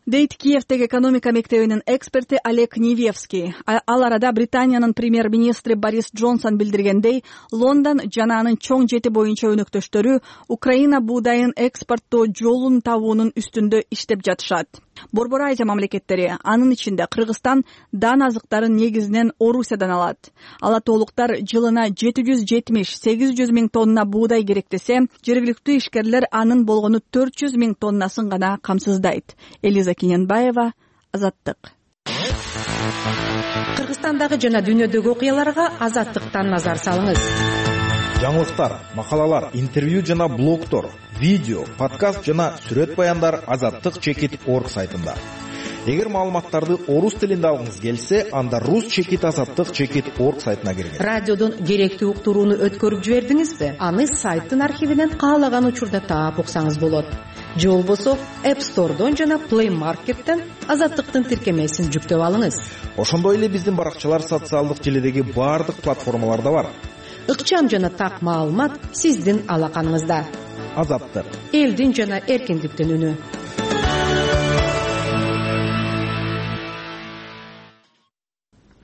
Дейт Киевдеги экономика мектебинин эксперти Олег Невьевский. Ал арада Британиянын премьер-министри Борис Джонсон билдиргендей, Лондон жана анын чоң жети боюнча өнөктөштөрү Украина буудайын экспорттоо жолун табуунун үстүндө иштеп жатышат. Борбор Азия мамлекеттери, анын ичинде Кыргызстан дан азыктарын негизинен Орусиядан алат. Алатоолуктар жылына жети жүз жетимиш сегиз жүз миң тонна буудай керектесе, жергиликтүү ишкерлер анын болгону төрт жүз миң тоннасын гана камсыздайт. Элиза Кененбаева, Азаттык. Кыргызстандагы жана дүйнөдөгү окуяларга Азаттыктан назар салыңыз. Жаңылыктар, макалалар, интервью жана блогтор, видео, подкаст жана сүрөт баяндар азаттык чекит орг сайтында. Эгер маалыматтарды орус тилинде алгыңыз келсе, анда рус чекит азаттык чекит орг сайтына киргиз. Радиодон керектүү уктурууну өткөрүп жибердиңизби? Аны сайттын архивинен каалаган учурда таап уксаңыз болот. Же болбосо App Store'дон жана Play Market'тен азаттыктын тиркемесин жүктөп алыңыз. Ошондой эле биздин баракчалар социалдык желидеги баардык платформаларда бар. Ыкчам жана так маалымат сиздин алаканыңызда. Азаттык. Элдин жана эркиндиктин үнү.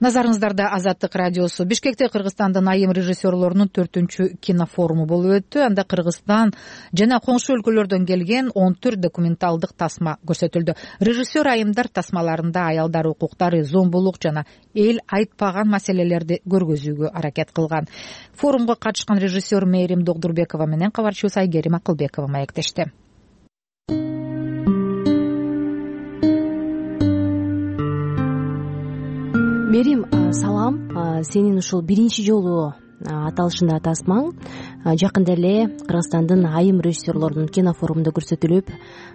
Назарыңыздарда Азаттык радиосу. Бишкекте Кыргызстандын айым режиссерлорунун төртүнчү кинофоруму болуп өттү. Анда Кыргызстан жана коңшу өлкөлөрдөн келген он төрт документалдык тасма көрсөтүлдү. Режиссер айымдар тасмаларында аялдар укуктары, зомбулук жана эл айтпаган маселелерди көргөзүүгө аракет кылган. Форумга катышкан режиссер Мээрим Догдурбекова менен кабарчыбыз Айгерим Акылбекова маектешти. Мерим, салам. Сенин ушул биринчи жолу аталышында тасмаң жакында эле Кыргызстандын айым режиссерлорунун кинофорумунда көрсөтүлүп,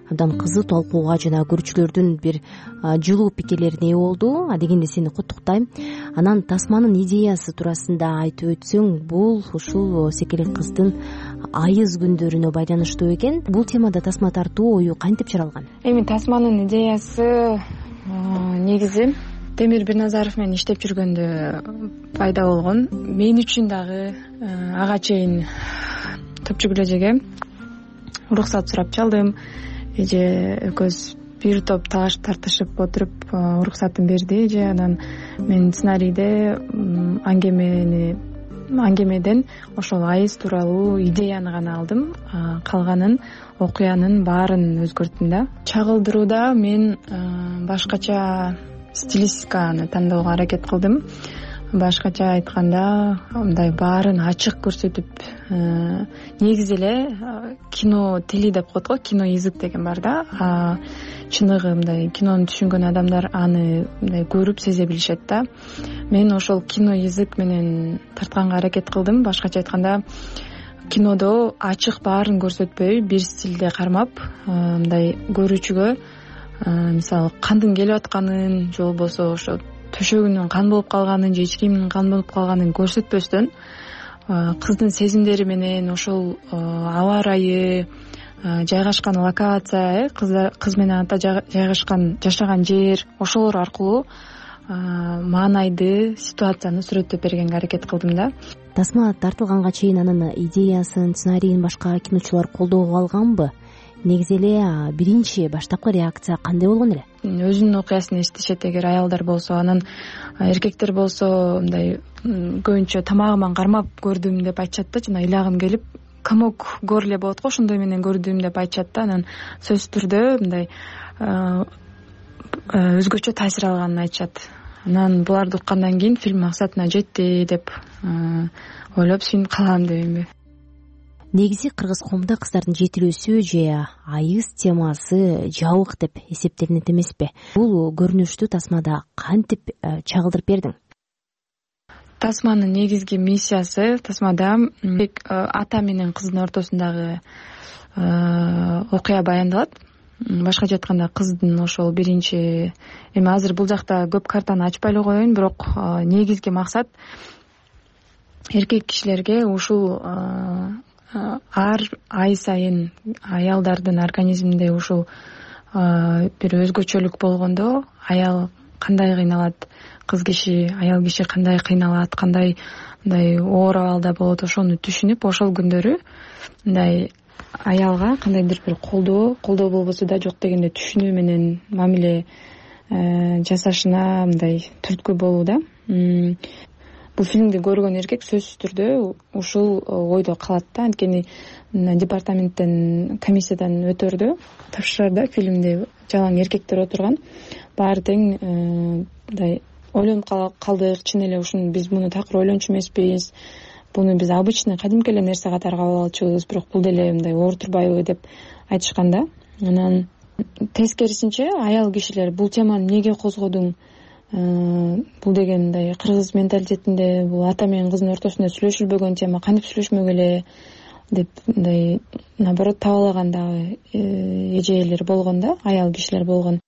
абдан кызуу талкууга жана көрүүчүлөрдүн бир жылуу пикирлерине ээ болду. Адегенде сени куттуктайм. Анан тасманын идеясы туурасында айтып өтсөң, бул ушул секелек кыздын айыз күндөрүнө байланыштуу экен. Бул темада тасма тартуу ою кантип чаралган? Эми тасманын идеясы негизи Темир Бирназаров менен иштеп жүргөндө пайда болгон. Мен үчүн дагы ага чейин топчу күлөжеге уруксат сурап чалдым. Эже экөөбүз бир топ талаш тартышып отуруп уруксатын берди. Эже анан мен сценарийде аңгемени аңгемеден ошол айыз тууралуу идеяны гана алдым. Калганын окуянын баарын өзгөрттүм да. Чагылдырууда мен башкача стилистиканы тандоого аракет кылдым. Башкача айтканда, мындай баарын ачык көрсөтүп, негизи эле кино тили деп коет го, кино язык деген бар да. Чыныгы мындай кинону түшүнгөн адамдар аны мындай көрүп сезе билишет да. Мен ошол кино язык менен тартканга аракет кылдым. Башкача айтканда, кинодо ачык баарын көрсөтпөй, бир стилде кармап, мындай көрүүчүгө мисалы кандын келип атканын, же болбосо ошо төшөгүнүн кан болуп калганын, же эч кимдин кан болуп калганын көрсөтпөстөн, кыздын сезимдери менен ошол аба ырайы, жайгашкан локация, кыз менен ата жайгашкан жашаган жер, ошолор аркылуу маанайды, ситуацияны сүрөттөп бергенге аракет кылдым да. Тасма тартылганга чейин анын идеясын, сценарийин башка киночулар колдоого алганбы? Негизи эле биринчи баштапкы реакция кандай болгон эле? Өзүнүн окуясын эстешет эгер аялдар болсо, анан эркектер болсо мындай көбүнчө тамагыман кармап көрдүм деп айтышат да, жана ыйлагым келип комок горле болот го, ошондой менен көрдүм деп айтышат да. Анан сөзсүз түрдө мындай өзгөчө таасир алганын айтышат. Анан буларды уккандан кийин фильм максатына жетти деп ойлоп сүйүнүп калам дейинби. Негизи кыргыз коомунда кыздардын жетилүүсү же айыз темасы жабык деп эсептелинет эмеспи? Бул көрүнүштү Тасмада кантип чагылдырып бердиң? Тасманын негизги миссиясы Тасмада ата менен кыздын ортосундагы окуя баяндалат. Башкача айтканда, кыздын ошол биринчи эми азыр бул жакта көп картаны ачпай эле коеюн, бирок негизги максат эркек кишилерге ушул ар ай сайын аялдардын организминде ушул бир өзгөчөлүк болгондо аял кандай кыйналат, кыз киши, аял киши кандай кыйналат, кандай мындай оор абалда болот, ошону түшүнүп, ошол күндөрү мындай аялга кандайдыр бир колдоо, колдоо болбосо да жок дегенде түшүнүү менен мамиле жасашына мындай түрткү болуу да. Бул фильмди көргөн эркек сөзсүз түрдө ушул ойдо калат да. Анткени департаменттен, комиссиядан өтөрдө тапшырарда фильмди жалаң эркектер отурган. Баары тең мындай ойлонуп калдык, чын эле ушуну биз муну такыр ойлончу эмеспиз. Буну биз обычный кадимки эле нерсе катары кабыл алчубуз, бирок бул деле мындай оор турбайбы деп айтышкан да. Анан тескерисинче аял кишилер бул теманы эмнеге козгодуң? Бул деген мындай кыргыз менталитетинде бул ата менен кыздын ортосунда сүйлөшүлбөгөн тема, кантип сүйлөшмөк эле деп мындай наоборот табалаган дагы эжелер болгон да, аял кишилер болгон.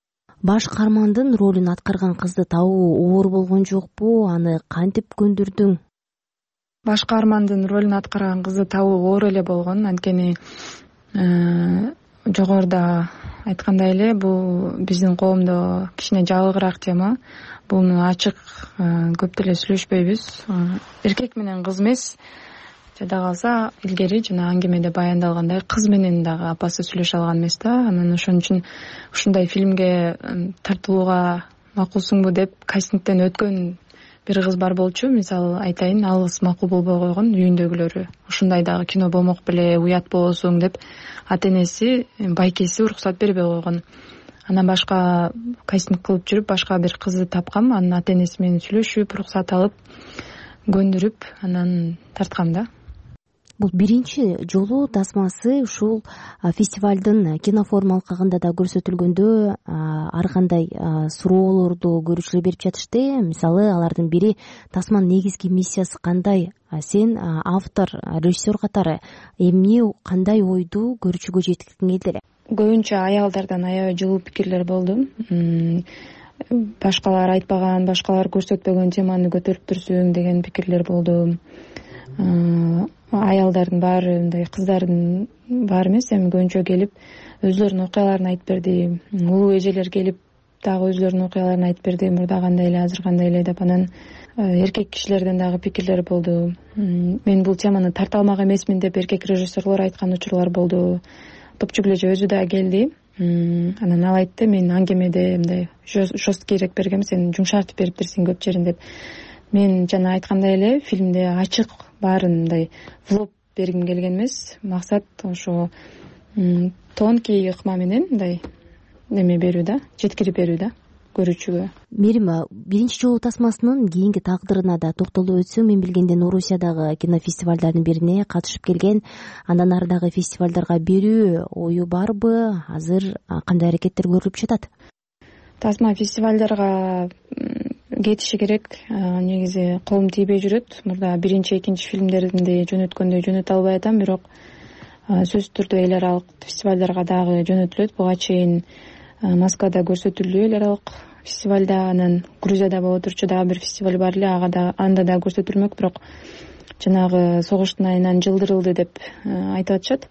Баш каармандын ролун аткарган кызды табуу оор болгон жокпу? Аны кантип көндүрдүң? Баш каармандын ролун аткарган кызды табуу оор эле болгон. Анткени жогоруда айткандай эле, бул биздин коомдо кичине жабыгыраак тема. Буну ачык көп деле сүйлөшпөйбүз. Эркек менен кыз эмес, жада калса илгери жана аңгемеде баяндалгандай кыз менен дагы апасы сүйлөшө алган эмес да. Анан ошон үчүн ушундай фильмге тартылууга макулсуңбу деп кастингден өткөн бир кыз бар болчу. Мисалы айтайын, ал кыз макул болбой койгон, үйүндөгүлөрү ушундай дагы кино болмок беле, уят болосуң деп ата энеси, байкеси уруксат бербей койгон. Анан башка кастинг кылып жүрүп, башка бир кызды тапкам. Анын ата энеси менен сүйлөшүп, уруксат алып, көндүрүп, анан тарткам да. Бул биринчи жолу Тасмасы ушул фестивалдын кинофорум алкагында да көрсөтүлгөндө ар кандай суроолорду көрүүчүлөр берип жатышты. Мисалы, алардын бири Тасманын негизги миссиясы кандай? Сен автор, режиссер катары эмне, кандай ойду көрүүчүгө жеткиргиң келди эле? Көбүнчө аялдардан аябай жылуу пикирлер болду. Башкалар айтпаган, башкалар көрсөтпөгөн теманы көтөрүп турсуң деген пикирлер болду. Аялдардын баары, мындай кыздардын баары эмес, эми көбүнчө келип өзлөрүнүн окуяларын айтып берди. Улуу эжелер келип дагы өзлөрүнүн окуяларын айтып берди. Мурда кандай эле, азыр кандай эле деп. Анан эркек кишилерден дагы пикирлер болду. Мен бул теманы тарта алмак эмесмин деп эркек режиссерлор айткан учурлар болду. Топчугулежи өзү да келди. Анан ал айтты, мен аңгемеде мындай жесткийрээк бергем, сен жумшартып бериптирсиң көп жерин деп. Мен жана айткандай эле фильмде ачык баарын мындай влоп бергим келген эмес. Максат ошо тонкий ыкма менен мындай неме берүү да, жеткирип берүү да көрүүчүгө. Мерим, биринчи жолу Тасмасынын кийинки тагдырына да токтолуп өтсөң, мен билгенден Орусиядагы кинофестивалдардын бирине катышып келген, андан ары дагы фестивалдарга берүү ою барбы? Азыр кандай аракеттер көрүлүп жатат? Тасма фестивалдарга кетиши керек. Негизи колум тийбей жүрөт. Мурда биринчи, экинчи фильмдеримди жөнөткөндө жөнөтө албай атам, бирок сөзсүз түрдө эл аралык фестивалдарга дагы жөнөтүлөт. Буга чейин Москвада көрсөтүлдү эл аралык фестивалда, анан Грузияда боло турчу дагы бир фестиваль бар эле, ага да анда да көрсөтүлмөк, бирок жанагы согуштун айынан жылдырылды деп айтып атышат.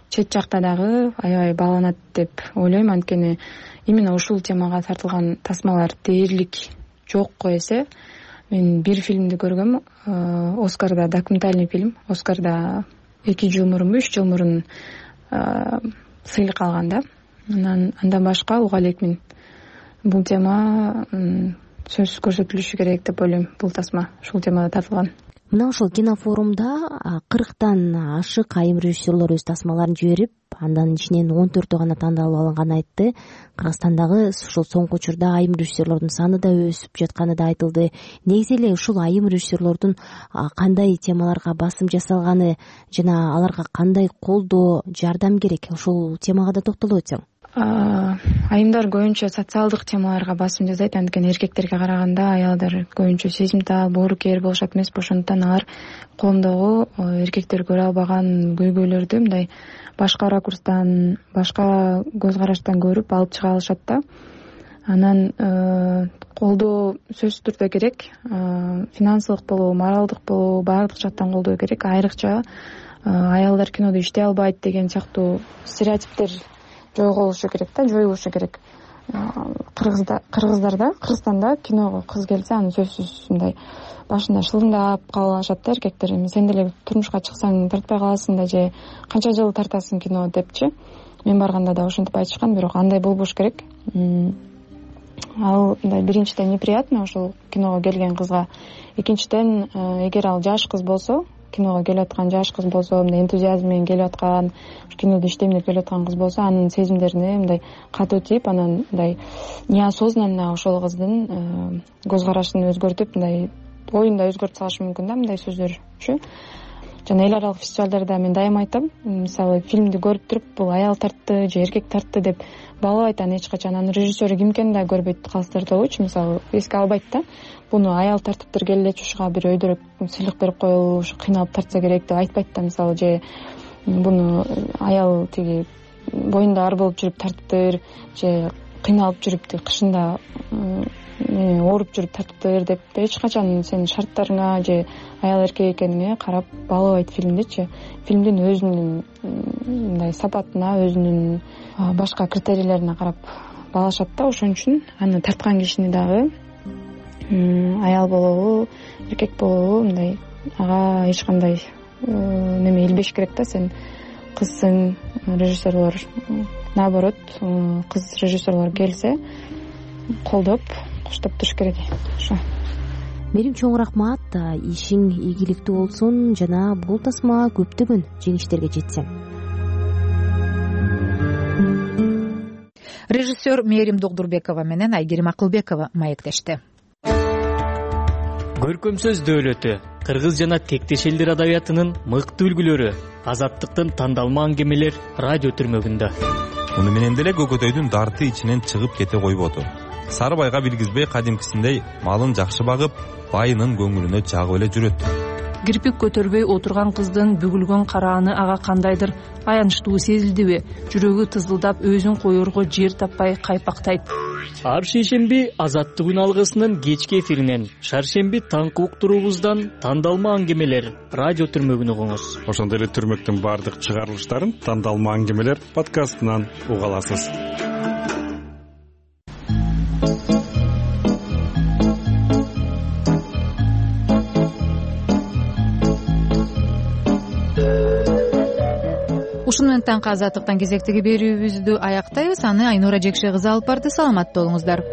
Чет жакта дагы аябай бааланат деп ойлойм, анткени именно ушул темага тартылган тасмалар дээрлик жокко эсе мен бир фильмди көргөм, Оскарда, документальный фильм. Оскарда эки жыл мурунбу үч жыл мурун сыйлык алган да. Анан андан башка уга элекмин. Бул тема сөзсүз көрсөтүлүшү керек деп ойлойм. Бул тасма ушул темада тартылган. Мына ошол кинофорумда кырктан ашык айым режиссерлор өз тасмаларын жиберип, андан ичинен он төртөө гана тандалып алынганын айтты. Кыргызстандагы ушул соңку учурда айым режиссерлордун саны да өсүп жатканы да айтылды. Негизи эле ушул айым режиссерлордун кандай темаларга басым жасалганы жана аларга кандай колдоо, жардам керек, ушул темага да токтолуп өтсөң. Айымдар көбүнчө социалдык темаларга басым жасайт, анткени эркектерге караганда аялдар көбүнчө сезимтал, боорукер болушат эмеспи, ошондуктан алар коомдогу эркектер көрө албаган көйгөйлөрдү мындай башка ракурстан, башка көз караштан көрүп алып чыга алышат да. Анан колдоо сөзсүз түрдө керек, финансылык болобу, моралдык болобу, баардык жактан колдоо керек. Айрыкча аялдар кинодо иштей албайт деген сыяктуу стереотиптер жойголушу керек да, жоюлушу керек. Кыргызда, Кыргыздарда, Кыргызстанда киного кыз келсе, аны сөзсүз мындай башында шылыңдап кабыл алышат да эркектер. Сен деле турмушка чыксаң тартпай каласың да, же канча жыл тартасың кино депчи. Мен барганда да ошентип айтышкан, бирок андай болбош керек. Ал мындай биринчиден неприятно ошол киного келген кызга. Экинчиден, эгер ал жаш кыз болсо, киного келип аткан жаш кыз болсо, мындай энтузиазм менен келип аткан, кинодо иштейм деп келип аткан кыз болсо, анын сезимдерине мындай катуу тийип, анан мындай неосознанно ошол кыздын көз карашын өзгөртүп, мындай оюн да өзгөртүп салышы мүмкүн да мындай сөздөрчү. Жана эл аралык фестивалдарда мен дайым айтам, мисалы фильмди көрүп туруп, бул аял тартты же эркек тартты деп баалабайт аны эч качан. Анын режиссеру ким экенин да көрбөйт калыстырдыгычы, мисалы эске албайт да. Буну аял тартыптыр, келелечи ушуга бир өйдөрөк сыйлык берип коелу, ушу кыйналып тартса керек деп айтпайт да, мисалы, же буну аял тиги боюнда ар болуп жүрүп тартыптыр, же кыйналып жүрүп тиги кышында ооруп жүрүп тартыптыр деп эч качан сенин шарттарыңа же аял эркек экениңе карап баалабайт фильмдичи. Фильмдин өзүнүн мындай сапатына, өзүнүн башка критерийлерине карап баалашат да. Ошон үчүн аны тарткан кишини дагы аял болобу, эркек болобу, мындай ага эч кандай неме илбеш керек да. Сен кызсың, режиссерлор наоборот, кыз режиссерлор келсе колдоп, коштоп туруш керек. Ошо. Мерим, чоң рахмат, ишиң ийгиликтүү болсун жана бул тасма көптөгөн жеңиштерге жетсин. Режиссер Мерим Догдурбекова менен Айгерим Акылбекова маектешти. Көркөм сөз дөөлөтү, кыргыз жана тектеш элдер адабиятынын мыкты үлгүлөрү, азаттыктын тандалма аңгемелер радио түрмөгүндө. Муну менен деле көкөтөйдүн дарты ичинен чыгып кете койбоду. Сары байга билгизбей кадимкисиндей малын жакшы багып, байынын көңүлүнө жагып эле жүрөт. Кирпик көтөрбөй отурган кыздын бүгүлгөн карааны ага кандайдыр аянычтуу сезилдиби? Жүрөгү тызылдап, өзүн коерго жер таппай кайпактайт. Ар шейшемби Азаттык үн алгысынын кечки эфиринен, шаршемби таңкы уктуруубуздан тандалма аңгемелер радио түрмөгүн угуңуз. Ошондой эле түрмөктүн баардык чыгарылыштарын тандалма аңгемелер подкастынан уга аласыз. Ушуну менен таңкы азаттыктан кезектеги берүүбүздү аяктайбыз. Аны Айнура Жекше кызы алып барды. Саламатта болуңуздар.